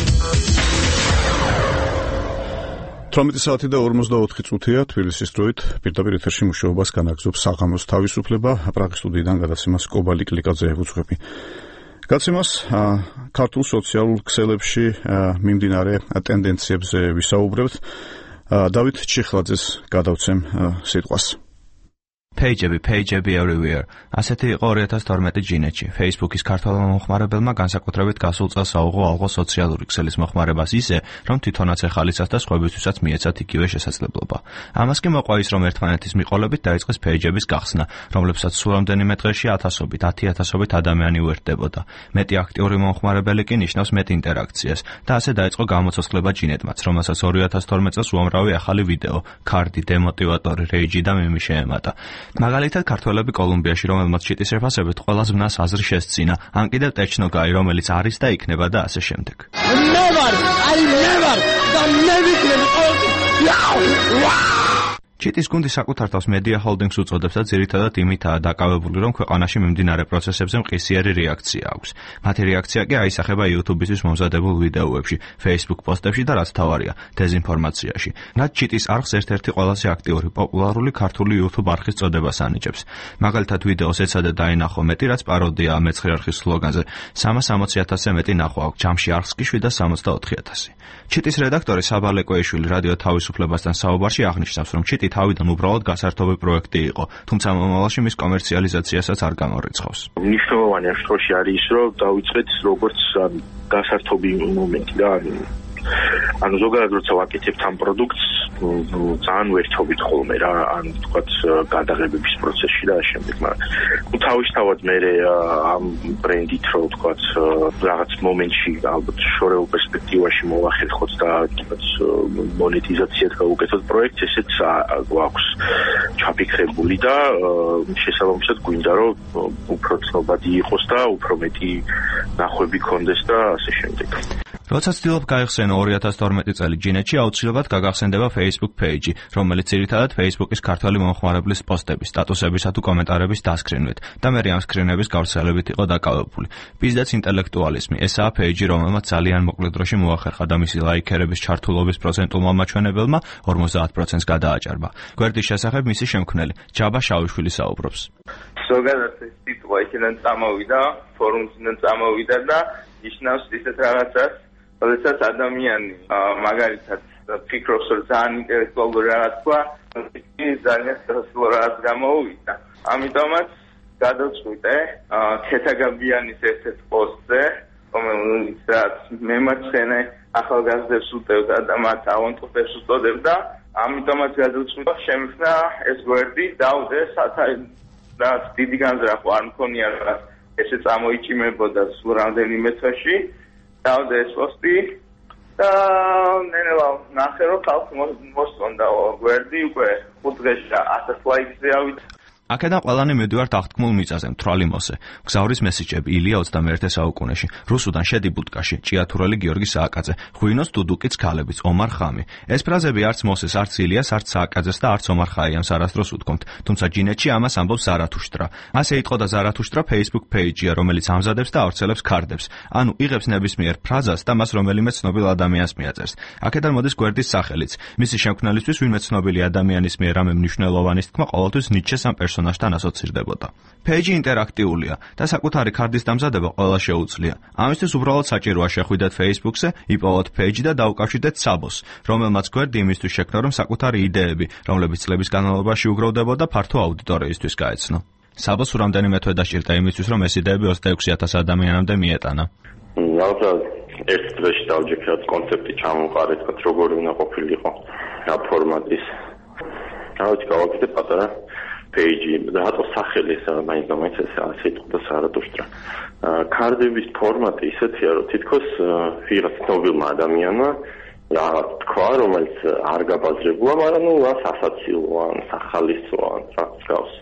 თვრამეტი საათი და ორმოცდაოთხი წუთია თბილისის დროით. პირდაპირ ეთერში მუშაობას განაგრძობს საღამოს თავისუფლება. პრაღის სტუდიიდან გადაცემას კობალი კლიკაძე ევუძღვები. გადაცემას ქართულ სოციალურ ქსელებში მიმდინარე ტენდენციებზე ვისაუბრებთ. დავით ჩიხლაძეს გადავცემ სიტყვას. Pageები, pageები everywhere. ასეთი იყო ორი ათას თორმეტი ჯინეთში. Facebook-ის ქართველმა მომხმარებელმა განსაკუთრებით გასულ წელს აუღო ალღო სოციალური ქსელის მოხმარებას ისე, რომ თვითონაც ეხალისას და სხვებისთვისაც მიეცათ იგივე შესაძლებლობა. ამას კი მოყვა ის, რომ ერთმანეთის მიყოლებით დაიწყეს pageების გახსნა, რომლებსაც სულ რამდენიმე დღეში ათასობით, ათი ათასობით ადამიანი უერთდებოდა. მეტი აქტიური მომხმარებელი კი ნიშნავს მეტ ინტერაქციას და ასე დაიწყო გამოცოცხლება ჯინეთმაც, რომელსაც ორი ათას თორმეტ წელს უამრავი ახალი ვიდეო, ქარდი, დემოტივატორი, რეიჯი და მიმი შეემატა. მაგალითად ქართველები კოლუმბიაში, რომელმაც ჩიტის შეფასებით ყველა ზმნას აზრი შესწინა, ან კიდევ ტეჩნოგაი, რომელიც არის და იქნება და ასე შემდეგ. Never, I never, the never. ჩიტის გუნდი საკუთარ თავს Media Holdings უწოდებს და ძირითადად იმითაა დაკავებული, რომ ქვეყანაში მიმდინარე პროცესებზე მყისიერი რეაქცია აქვს. მათი რეაქცია კი აისახება YouTube-ისთვის მომზადებულ ვიდეოებში, Facebook პოსტებში და რაც თავარია, დეზინფორმაციაში. რაც ჩიტის არხს ერთ-ერთი ყველაზე აქტიური, პოპულარული ქართული YouTube არხის წოდებას ანიჭებს. მაგალითად ვიდეოს ეცადა დაინახო მეტი, რაც პაროდიაა მეცხრე არხის სლოგანზე. სამას ოცი ათასზე მეტი ნახვა აქვს, ჯამში არხს კი შვიდას სამოცდაოთხი ათასი. ჩიტის რედაქტორი საბა ლეკოიშვილი რადიო თავისუფლებასთან საუბარში აღნიშნავს, რომ ჩიტი თავიდან უბრალოდ გასართობი პროექტი იყო, თუმცა მომავალში მის კომერციალიზაციასაც არ გამორიცხავს. მნიშვნელოვანი ამ შემთხვევაში არის ის, რომ დავიწყეთ როგორც გასართობი მომენტი და ანუ ზოგადად როცა ვაკეთებთ ამ პროდუქტს, ძალიან ვერთობით ხოლმე რა, ან თქვათ გადაღებების პროცესში და შემდეგ, მაგრამ თავისთავად მე ამ ბრენდით რო თქვათ რაღაც მომენტში ალბათ შორეულ პერსპექტივაში მოვახერხოთ და თქვათ მონეტიზაციად გავუკეთოთ პროექტს, ესეც გვაქვს ჩაფიქრებული და შესაბამისად გვინდა რომ უფრო ცნობადი იყოს და უფრო მეტი ნახვები ქონდეს და ასე შემდეგ. როცა ცდილობ გაიხსენო ორი ათას თორმეტი წელი ჯინეთში, აუცილებლად გაგახსენდება Facebook page-ი, რომელიც ძირითადად Facebook-ის ქართველი მომხმარებლის პოსტების, სტატუსებისა თუ კომენტარების დასკრინვით და მე ამ სკრინების გავრცელებით იყო დაკავებული. Business ინტელექტუალიზმი, ესაა page-ი, რომელმაც ძალიან მოკლე დროში მოახერხა და მისი ლაიქერების ჩართულობის პროცენტულმა მაჩვენებელმა ორმოცდაათ პროცენტს გადააჭარბა. გვერდის შესახებ მისი შემქმნელი ჯაბა შავიშვილი საუბრობს. ზოგადად ეს სიტყვა იქიდან წამოვიდა, ფორუმიდან წამოვიდა და ნიშნავს ისეთ რაღაცას, როდესაც ადამიანი მაგალითად ფიქრობს, რომ ძალიან ინტელექტუალური რაღაც თქვა, ის ძალიან სასწავლო რაღაც გამოუვიდა. ამიტომაც გადავწყვიტე ქეთაგაბიანის ერთ-ერთ პოსტზე, რომელიც რაც მემაჩხენე ახალგაზრდებს უტევდა და მათ ავანტოფებს უწოდებდა, ამიტომაც გადავწყვიტე შემიხნა ეს გვერდი დავდე რაც დიდი განზრახვა არ მქონია რაღაც ესე წამოიჭიმებოდა სულ რამდენიმე თვეში. დავდე ეს პოსტი და ნელა ნახე რომ ხალხს მოსწონდა გვერდი უკვე ხუთ დღეში ათას ლაიქზე ავიდა. აქედან ყველანი მივდივართ აღთქმულ მიწაზე, მთვრალი მოსე. გზავრის მესიჯები ილია ოცდამეერთე საუკუნეში, რუსუდან შედი ბუტკაში, ჭიათურელი გიორგი სააკაძე, ღვინოს დუდუკიც ქალებიც, ომარ ხამი. ეს ფრაზები არც მოსეს, არც ილიას, არც სააკაძეს და არც ომარ ხაიამს არასდროს უთქვამთ, თუმცა ჯინეთში ამას ამბობს ზარათუშტრა. ასე იტყოდა ზარათუშტრა Facebook page-ია, რომელიც ამზადებს და ავრცელებს ქარდებს. ანუ იღებს ნებისმიერ ფრაზას და მას რომელიმე ცნობილ ადამიანს მიაწერს. აქედან მოდის გვერდის სახელიც. მისი შემქმნელისთვის ვინმე ცნობილი ადამიანის მიერ რამე მნიშვნელოვანის თქმა ყოველთვის ნიჩეს ამ პერსონაჟთან ასოცირდებოდა. Page ინტერაქტიულია და საკუთარი ქარდის დამზადება ყველა შეუძლია. ამისთვის უბრალოდ საჭიროა შეხვიდეთ Facebook-ზე, იპოვოთ page და დაუკავშირდეთ საბოს, რომელმაც გვერდი იმისთვის შექმნა, რომ საკუთარი იდეები, რომლებიც წლების განმავლობაში უგროვდებოდა, ფართო აუდიტორიისთვის გაეცნო. საბოს რამდენიმე თვე დაჭირდა იმისთვის, რომ ეს იდეები ოცდაექვსი ათას ადამიანამდე მიეტანა. ალბათ ერთ დღეში დავჯექრათ კონცეფტი ჩამოვყარეთ, როგორი უნდა ყოფილიყო რა ფორმატის. რა ვიცი, გავაკეთე პატარა page რატო სახელი ესა მაინც მაინც ესა სიტყვა სარატუშტრა კარდების ფორმატი ისეთია რომ თითქოს ვიღაც ცნობილმა ადამიანმა რაღაც თქვა რომელიც არ გაბაზრებულა მაგრამ ნუ რას ასაცილოა სახალისოა რაც გავს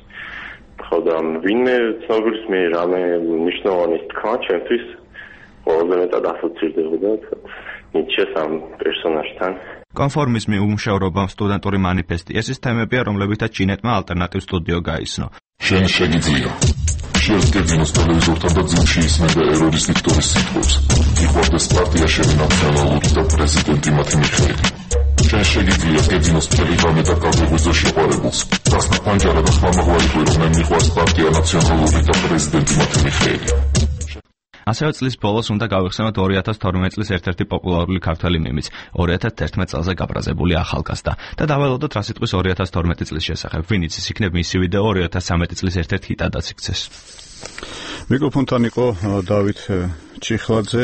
ხოდა ვინმე ცნობილს მე რამე მნიშვნელოვანი თქვა ჩემთვის ყველაზე მეტად ასოცირდებოდა ნიჩეს ამ პერსონაჟთან კონფორმიზმი უმუშევრობა სტუდენტური მანიფესტი ეს ის თემებია რომლებითაც ჩინეთმა ალტერნატივ სტუდიო გაიცნო შენ შეგიძლია შეერთებინოს ტელევიზორთან და ძიმში ისმენდა ერორის დიქტორის სიტყვებს იყვარდეს პარტია შენი ნაციონალური და პრეზიდენტი მათი მიხეილი შენ შეგიძლია გეძინოს ტელეგრამი და კალდეგვიზო შეყვარებულს დასნა პანჯარა და ხმამაღლარი რომ მე მიყვარს პარტია ნაციონალური და პრეზიდენტი მათი მიხეილი ასევე წლის ბოლოს უნდა გავიხსენოთ ორი ათას თორმეტ წლის ერთ-ერთი პოპულარული ქართველი მემიც ორი ათას თერთმეტ წელზე გაბრაზებული ახალგაზრდა და დაველოდოთ რა სიტყვის ორი ათას თორმეტი წლის შესახებ ვინც ის იქნებ მისი ვიდეო ორი ათას ცხრამეტი წლის ერთ-ერთ ჰიტადაც იქცეს მიკროფონთან იყო დავით ჩიხლაძე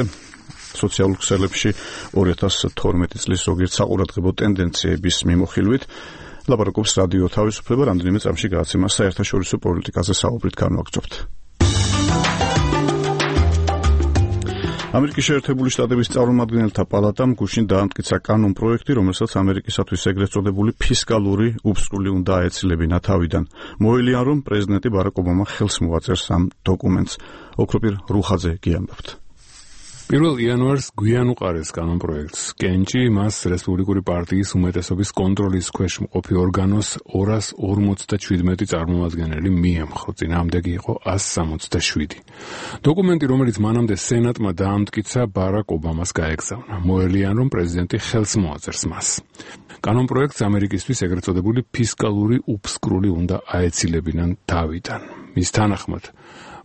სოციალურ ქსელებში ორი ათას თორმეტი წლის ზოგიერთ საყურადღებო ტენდენციების მიმოხილვით ლაპარაკობს რადიო თავისუფლება რამდენიმე წამში გააცემა საერთაშორისო პოლიტიკაზე საუბრით განვაგრძობთ ამერიკის შეერთებული შტატების წარმომადგენელთა პალატამ გუშინ დაამტკიცა კანონ პროექტი, რომელსაც ამერიკისათვის ეგრეთ წოდებული ფისკალური უფსკული უნდა აეცილებინა თავიდან. მოელიან, რომ პრეზიდენტი ბარაკ ობამა ხელს მოაწერს ამ დოკუმენტს. ოქროპირ რუხაძე გიამბობთ. პირველ იანვარს გვიან უყარეს კანონ პროექტს. კენჭი მას რესპუბლიკური პარტიის უმეტესობის კონტროლის ქვეშ მყოფი ორგანოს ორას ორმოცდაშვიდმეტი წარმომადგენელი მიემხრო. წინააღმდეგი იყო ასი სამოცდაშვიდი. დოკუმენტი, რომელიც მანამდე სენატმა დაამტკიცა, ბარაკ ობამას გაეგზავნა. მოელიან, რომ პრეზიდენტი ხელს მოაწერს მას. კანონ პროექტს ამერიკისთვის ეგრეთ წოდებული ფისკალური უფსკრული უნდა აეცილებინან თავიდან. მის თანახმად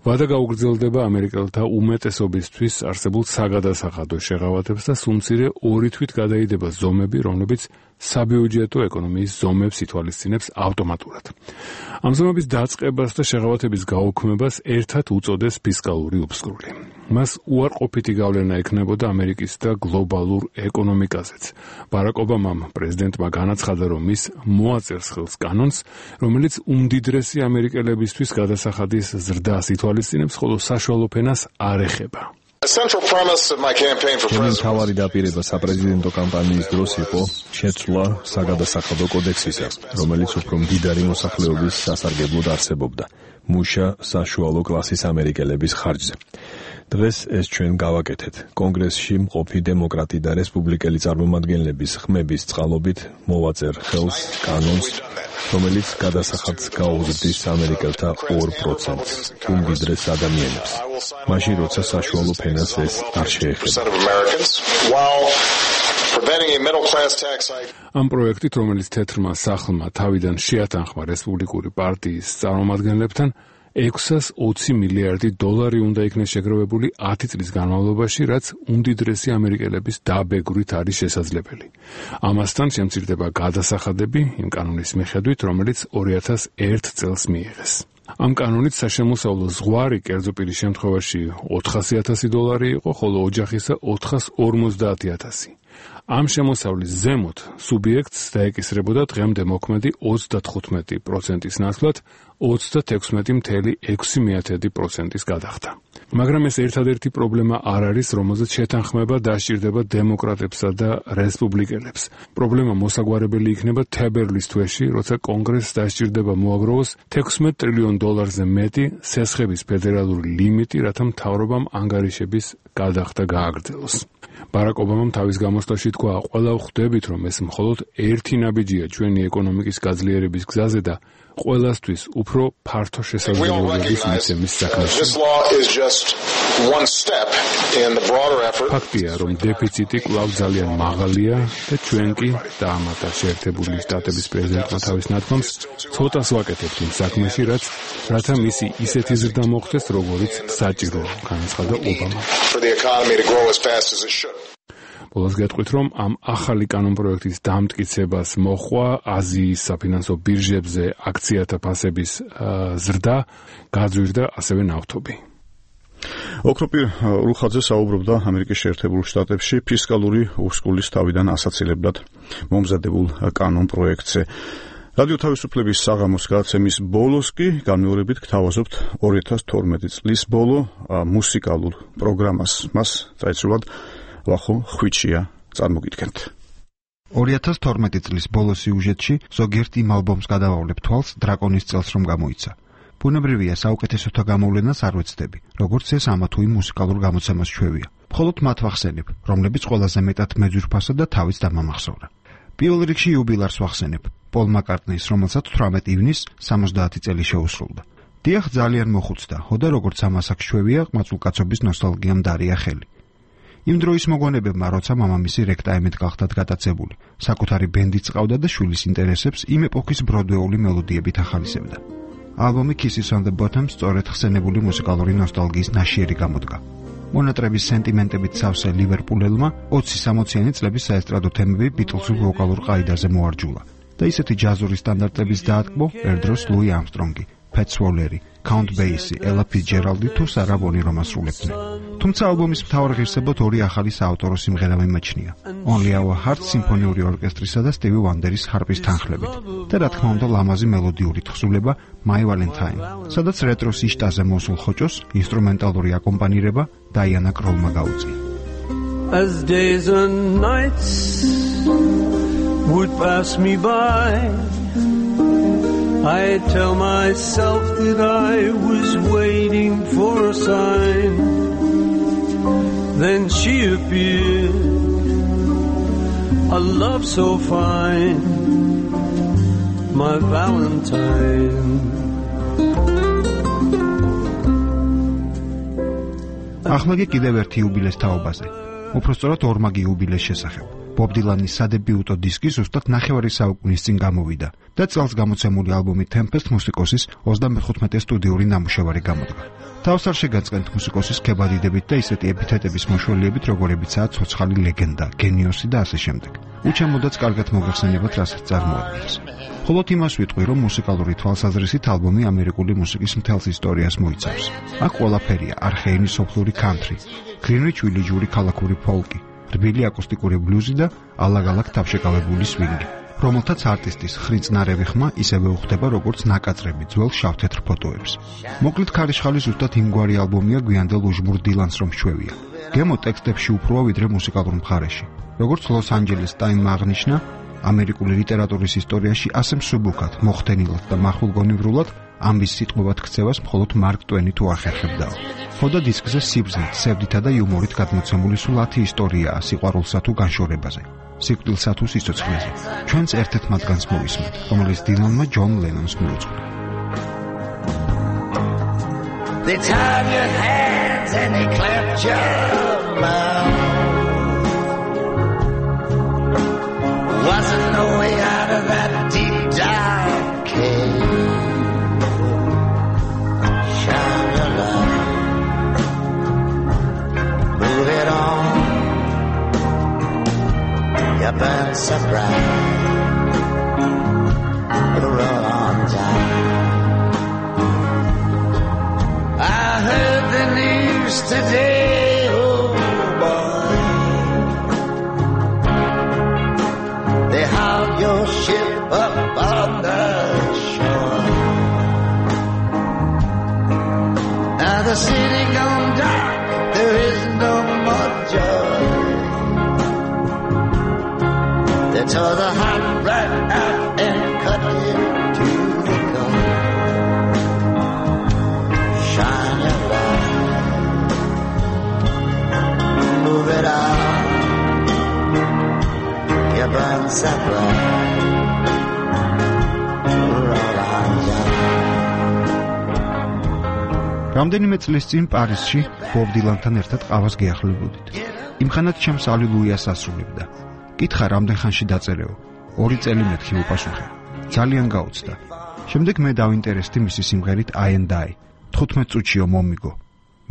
ვადა გაუგრძელდება ამერიკელთა უმეტესობისთვის არსებულ საგადასახადო შეღავათებს და სულ-მცირე ორი თვით გადაიდება ზომები, რომლებიც საბიუჯეტო ეკონომიის ზომებს ითვალისწინებს ავტომატურად. ამ ზომების დაწყებას და შეღავათების გაუქმებას ერთად უწოდეს ფისკალური უფსკრული. მას უარყოფითი გავლენა ექნებოდა ამერიკის და გლობალურ ეკონომიკაზეც. ბარაკ ობამამ პრეზიდენტმა განაცხადა, რომ ის მოაწერს ხელს კანონს, რომელიც უმდიდრესი ამერიკელებისთვის გადასახადის ზრდას ითვალისწინებს, ხოლო საშუალო ფენას არ ეხება. ჩემი მთავარი დაპირება საპრეზიდენტო კამპანიის დროს იყო შეცვლა საგადასახადო კოდექსისა, რომელიც უფრო მდიდარი მოსახლეობის სასარგებლოდ არსებობდა მუშა საშუალო კლასის ამერიკელების ხარჯზე. დღეს ეს ჩვენ გავაკეთეთ. კონგრესში მყოფი დემოკრატი და რესპუბლიკელი წარმომადგენლების ხმების წყალობით მოვაწერ ხელს კანონს, რომელიც გადასახადს გაუგრძდის ამერიკელთა ორ პროცენტს უმდიდრეს ადამიანებს. მაშინ როცა საშუალო ფენას ეს არ შეეხება. ამ პროექტით, რომელიც თეთრმა სახლმა თავიდან შეათანხმა რესპუბლიკური პარტიის წარმომადგენლებთან, ექვსას ოცი მილიარდი დოლარი უნდა იქნეს შეგროვებული ათი წლის განმავლობაში, რაც უმდიდრესი ამერიკელების დაბეგვრით არის შესაძლებელი. ამასთან შემცირდება გადასახადები იმ კანონის მიხედვით, რომელიც ორი ათას ერთ წელს მიიღეს. ამ კანონით საშემოსავლო ზღვარი კერძო პირის შემთხვევაში ოთხასი ათასი დოლარი იყო, ხოლო ოჯახისა ოთხას ორმოცდაათი ათასი. ამ შემოსავლის ზემოთ სუბიექტს დაეკისრებოდა დღემდე მოქმედი ოცდათხუთმეტი პროცენტის ნაცვლად ოცდათექვსმეტი მცდამეტი ექვსი პროცენტის გადახდა. მაგრამ ეს ერთადერთი პრობლემა არ არის, რომელზეც შეთანხმება დასჭირდება დემოკრატებსა და რესპუბლიკელებს. პრობლემა მოსაგვარებელი იქნება თებერვლის თვეში, როცა კონგრესს დასჭირდება მოაგროვოს თექვსმეტ ტრილიონ დოლარზე მეტი სესხების ფედერალური ლიმიტი, რათა მთავრობამ ანგარიშების გადახდა გააგრძელოს. ბარაკ ობამამ თავის გამოსვლაში თქვა, ყველა ვხვდებით, რომ ეს მხოლოდ ერთი ნაბიჯია ჩვენი ეკონომიკის გაძლიერების გზაზე და ყველასთვის უფრო ფართო შესაძლებლობების მიცემის საქმეში. ფაქტია, რომ დეფიციტი კვლავ ძალიან მაღალია და ჩვენ კი დაამატა შეერთებული შტატების პრეზიდენტმა თავის ნათქვამს ცოტას ვაკეთებთ იმ საქმეში, რაც რათა მისი ისეთი ზრდა მოხდეს, როგორიც საჭიროა, განაცხადა ობამა. ბოლოს გეტყვით, რომ ამ ახალი კანონ პროექტის დამტკიცებას მოჰყვა აზიის საფინანსო ბირჟებზე აქციათა ფასების ზრდა, გაძვირდა ასევე ნავთობი. ოქროპირ რუხაძე საუბრობდა ამერიკის შეერთებულ შტატებში ფისკალური უფსკულის თავიდან ასაცილებლად მომზადებულ კანონ პროექტზე. რადიო თავისუფლების საღამოს გადაცემის ბოლოს კი განმეორებით გთავაზობთ ორი ათას თორმეტი წლის ბოლო მუსიკალურ პროგრამას. მას წაეცვლად ვახო ხვიჩია წარმოგიდგენთ. ორი ათას თორმეტი წლის ბოლო სიუჟეტში ზოგიერთ იმ ალბომს გადავავლებ თვალს დრაკონის წელს რომ გამოიცა. ბუნებრივია საუკეთესოთა გამოვლენას არ ვეცდები, როგორც ეს ამა თუ იმ მუსიკალურ გამოცემას ჩვევია. მხოლოდ მათ ვახსენებ, რომლებიც ყველაზე მეტად მეძვირფასა და თავის დამამახსოვრა. პირველ რიგში იუბილარს ვახსენებ, პოლ მაკარტნის, რომელსაც თვრამეტი ივნისს სამოცდაათი წელი შეუსრულდა. დიახ, ძალიან მოხუცდა, ხოდა როგორც ამას აქ ჩვევია, ყმაწვილკაცობის ნოსტალგიამ დარია ხელი. იმ დროის მოგონებებმა, როცა მამამისი რექტაიმედ გახდათ გატაცებული, საკუთარი ბენდიც ყავდა და შვილის ინტერესებს იმ ეპოქის ბროდვეული მელოდიებით ახალისებდა. ალბომი Kisses on the Bottom სწორედ ხსენებული მუსიკალური ნოსტალგიის ნაშიერი გამოდგა. მონატრების სენტიმენტებით სავსე ლივერპულელმა ოცი სამოციანი წლების საესტრადო თემები ბიტლსურ ვოკალურ ყაიდაზე მოარჯულა და ისეთი ჯაზური სტანდარტების დაატკბო ერდროს ლუი ამსტრონგი, Pat Swalley, Count Basie, Ella Fitzgerald თუ Sarah Vaughan რომ ასრულებდნენ. თუმცა ალბომის მთავარ ღირსებად ორი ახალი საავტორო სიმღერა მიმაჩნია. Only Our Hearts სიმფონიური ორკესტრისა და Stevie Wonderis ჰარპის თანხლებით და რა თქმა უნდა ლამაზი მელოდიური თხზულება My Valentine, სადაც რეტროს იშტაზე მოსულ ხოჭოს ინსტრუმენტალური აკომპანირება Diana Krallმა გაუწია. As days and nights would pass me by, I tell myself that I was waiting for a sign. Then she appeared, a love so fine, my Valentine. ახლა კიდევ ერთი იუბილეს თაობაზე. უпростоრად ორმაგი იუბილეს შესახებ. ბობ დილანის სადებიუტო დისკი ზუსტად ნახევარი საუკუნის წინ გამოვიდა და წელს გამოცემული ალბომი Tempest მუსიკოსის ოცდამეხუთმეტე სტუდიური ნამუშევარი გამოდგა. თავს არ შეგაწყენთ მუსიკოსის ქებადიდებით და ისეთი ეპითეტების მოშველიებით, როგორებიცაა ცოცხალი ლეგენდა, გენიოსი და ასე შემდეგ. უჩემოდაც კარგად მოგეხსენებათ, რასაც წარმოადგენს. მხოლოდ იმას ვიტყვი, რომ მუსიკალური თვალსაზრისით ალბომი ამერიკული მუსიკის მთელს ისტორიას მოიცავს. აქ ყველაფერია: არხეენი სოფლური კანტრი, გრინვიჩ ვილიჯური ქალაქური ფოლკი, რბილი აკუსტიკური ბლუზი და ალაგ-ალაგ თავშეკავებული სვინგი, რომელთაც არტისტის ხრიწნარევი ხმა ისევე უხდება, როგორც ნაკაწრები ძველ შავ-თეთრ ფოტოებს. მოკლედ ქარიშხალი ზუსტად იმგვარი ალბომია გვიანდელ უჟმურ დილანს რომ ჩვევია. გემო ტექსტებში უფროა ვიდრე მუსიკალურ მხარეში. როგორც ლოს-ანჯელეს ტაიმმა აღნიშნა, ამერიკული ლიტერატურის ისტორიაში ასე მსუბუქად, მოხდენილად და მახვილგონივრულად ამბის სიტყვებად ქცევას მხოლოდ მარკ ტვენი თუ ახერხებდაო. ხოდა დისკზე სიბრძნით, სევდითა და იუმორით გადმოცემული სულ ათი ისტორიაა სიყვარულსა თუ განშორებაზე, სიკვდილსა თუ სიცოცხლეზე. ჩვენც ერთ-ერთ მათგანს მოვისმენთ, რომელიც დილანმა ჯონ ლენონს მიუძღვნა. They tied your hands and they clapped your mouth. Wasn't no way out of that deep dark cave. Shine your light, move it on. You burn so bright, you roll on down. I heard the news today, oh boy. They hauled your ship up on the shore. Now the city gone dark, there is no more joy. They tore the heart right out and cut it to the core. Shine your light, move it out. You burn so bright, roll on down. რამდენიმე წლის წინ პარიზში ბობ დილანთან ერთად ყავას გეახლებოდით. იმხანად ჩემს ალილუიას ასრულებდა. კითხა რამდენ ხანში დაწერეო? ორი წელი მეთქი უპასუხე. ძალიან გაუცდა. შემდეგ მე დავინტერესდი მისი სიმღერით I and I. თხუთმეტ წუთშიო მომიგო.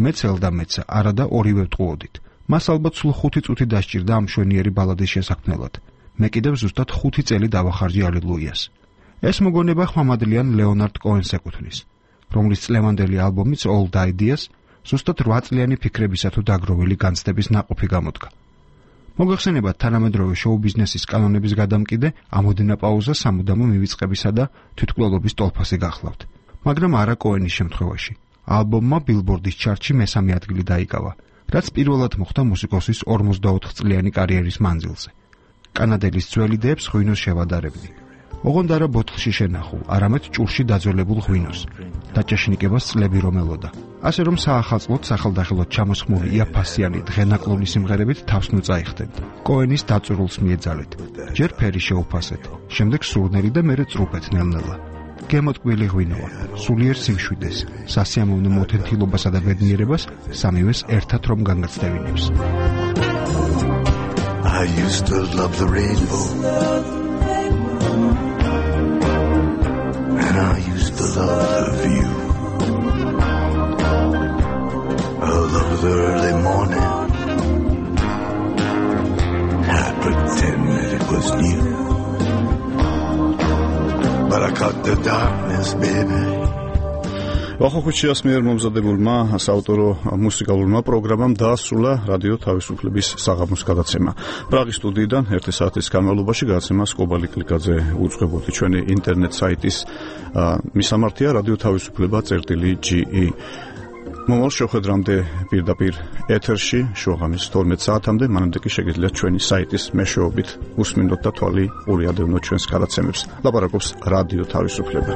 მეც ელდა მეცა, არა და ორივე ვტყუოდით. მას ალბათ სულ ხუთი წუთი დასჭირდა ამ შვენიერი ბალადის შესაქმნელად. მე კიდევ ზუსტად ხუთი წელი დავახარჯე ალილუიას. ეს მოგონება ხმამადლიან ლეონარდ კოენს ეკუთვნის, რომლის წლევანდელი ალბომიც Old Ideas ზუსტად რვა წლიანი ფიქრებისა თუ დაგროვილი განცდების ნაყოფი გამოდგა. მოგეხსენებათ თანამედროვე შოუ ბიზნესის კანონების გადამკიდე, ამოდენა პაუზა სამუდამო მივიწყებისა და თვითმკვლელობის ტოლფასი გახლავთ. მაგრამ არა კოენის შემთხვევაში. ალბომმა ბილბორდის ჩარტში მესამე ადგილი დაიკავა, რაც პირველად მოხდა მუსიკოსის ორმოცდაოთხ წლიანი კარიერის მანძილზე. კანადელის ძველი დებს ღვინოს შევადარებდი. ოღონდ არა ბოთლში შენახულ, არამედ ჭურში დაძველებულ ღვინოს. დაჭეშნიკებას წლები რომ ელოდა. ასე რომ საახალწლოდ სახელდახელოდ ჩამოსხმული იაფასიანი დღენაკლონი სიმღერებით თავს ნუწაიხდეთ. კოენის დაწურულს მიეძალეთ. ჯერ ფერი შეუფასეთ, შემდეგ სურნელი და მერე წრუპეთ ნელ-ნელა. გემოტკბილი ღვინოა, სულიერ სიმშვიდეს, სასიამოვნო მოთენთილობასა და ბედნიერებას სამივეს ერთად რომ განგაცდევინებს. I used to love the rainbow and I used to love the view. I love the early morning. I pretend that it was new. But I cut the darkness, baby. ვახოხუჩიას მიერ მომზადებულმა საავტორო მუსიკალურმა პროგრამამ დაასრულა რადიო თავისუფლების საღამოს გადაცემა. პრაღის სტუდიიდან ერთი საათის განმავლობაში გადაცემას კობალი კლიკაძე უძღვებოდი. ჩვენი ინტერნეტ საიტის მისამართია რადიო თავისუფლება წერტილი ჯი ი. მომავალ შეხვედრამდე პირდაპირ ეთერში შუაღამის თორმეტ საათამდე, მანამდე კი შეგიძლიათ ჩვენი საიტის მეშვეობით უსმინოთ და თვალი ყურიადევნოთ ჩვენს გადაცემებს. ლაპარაკობს რადიო თავისუფლება.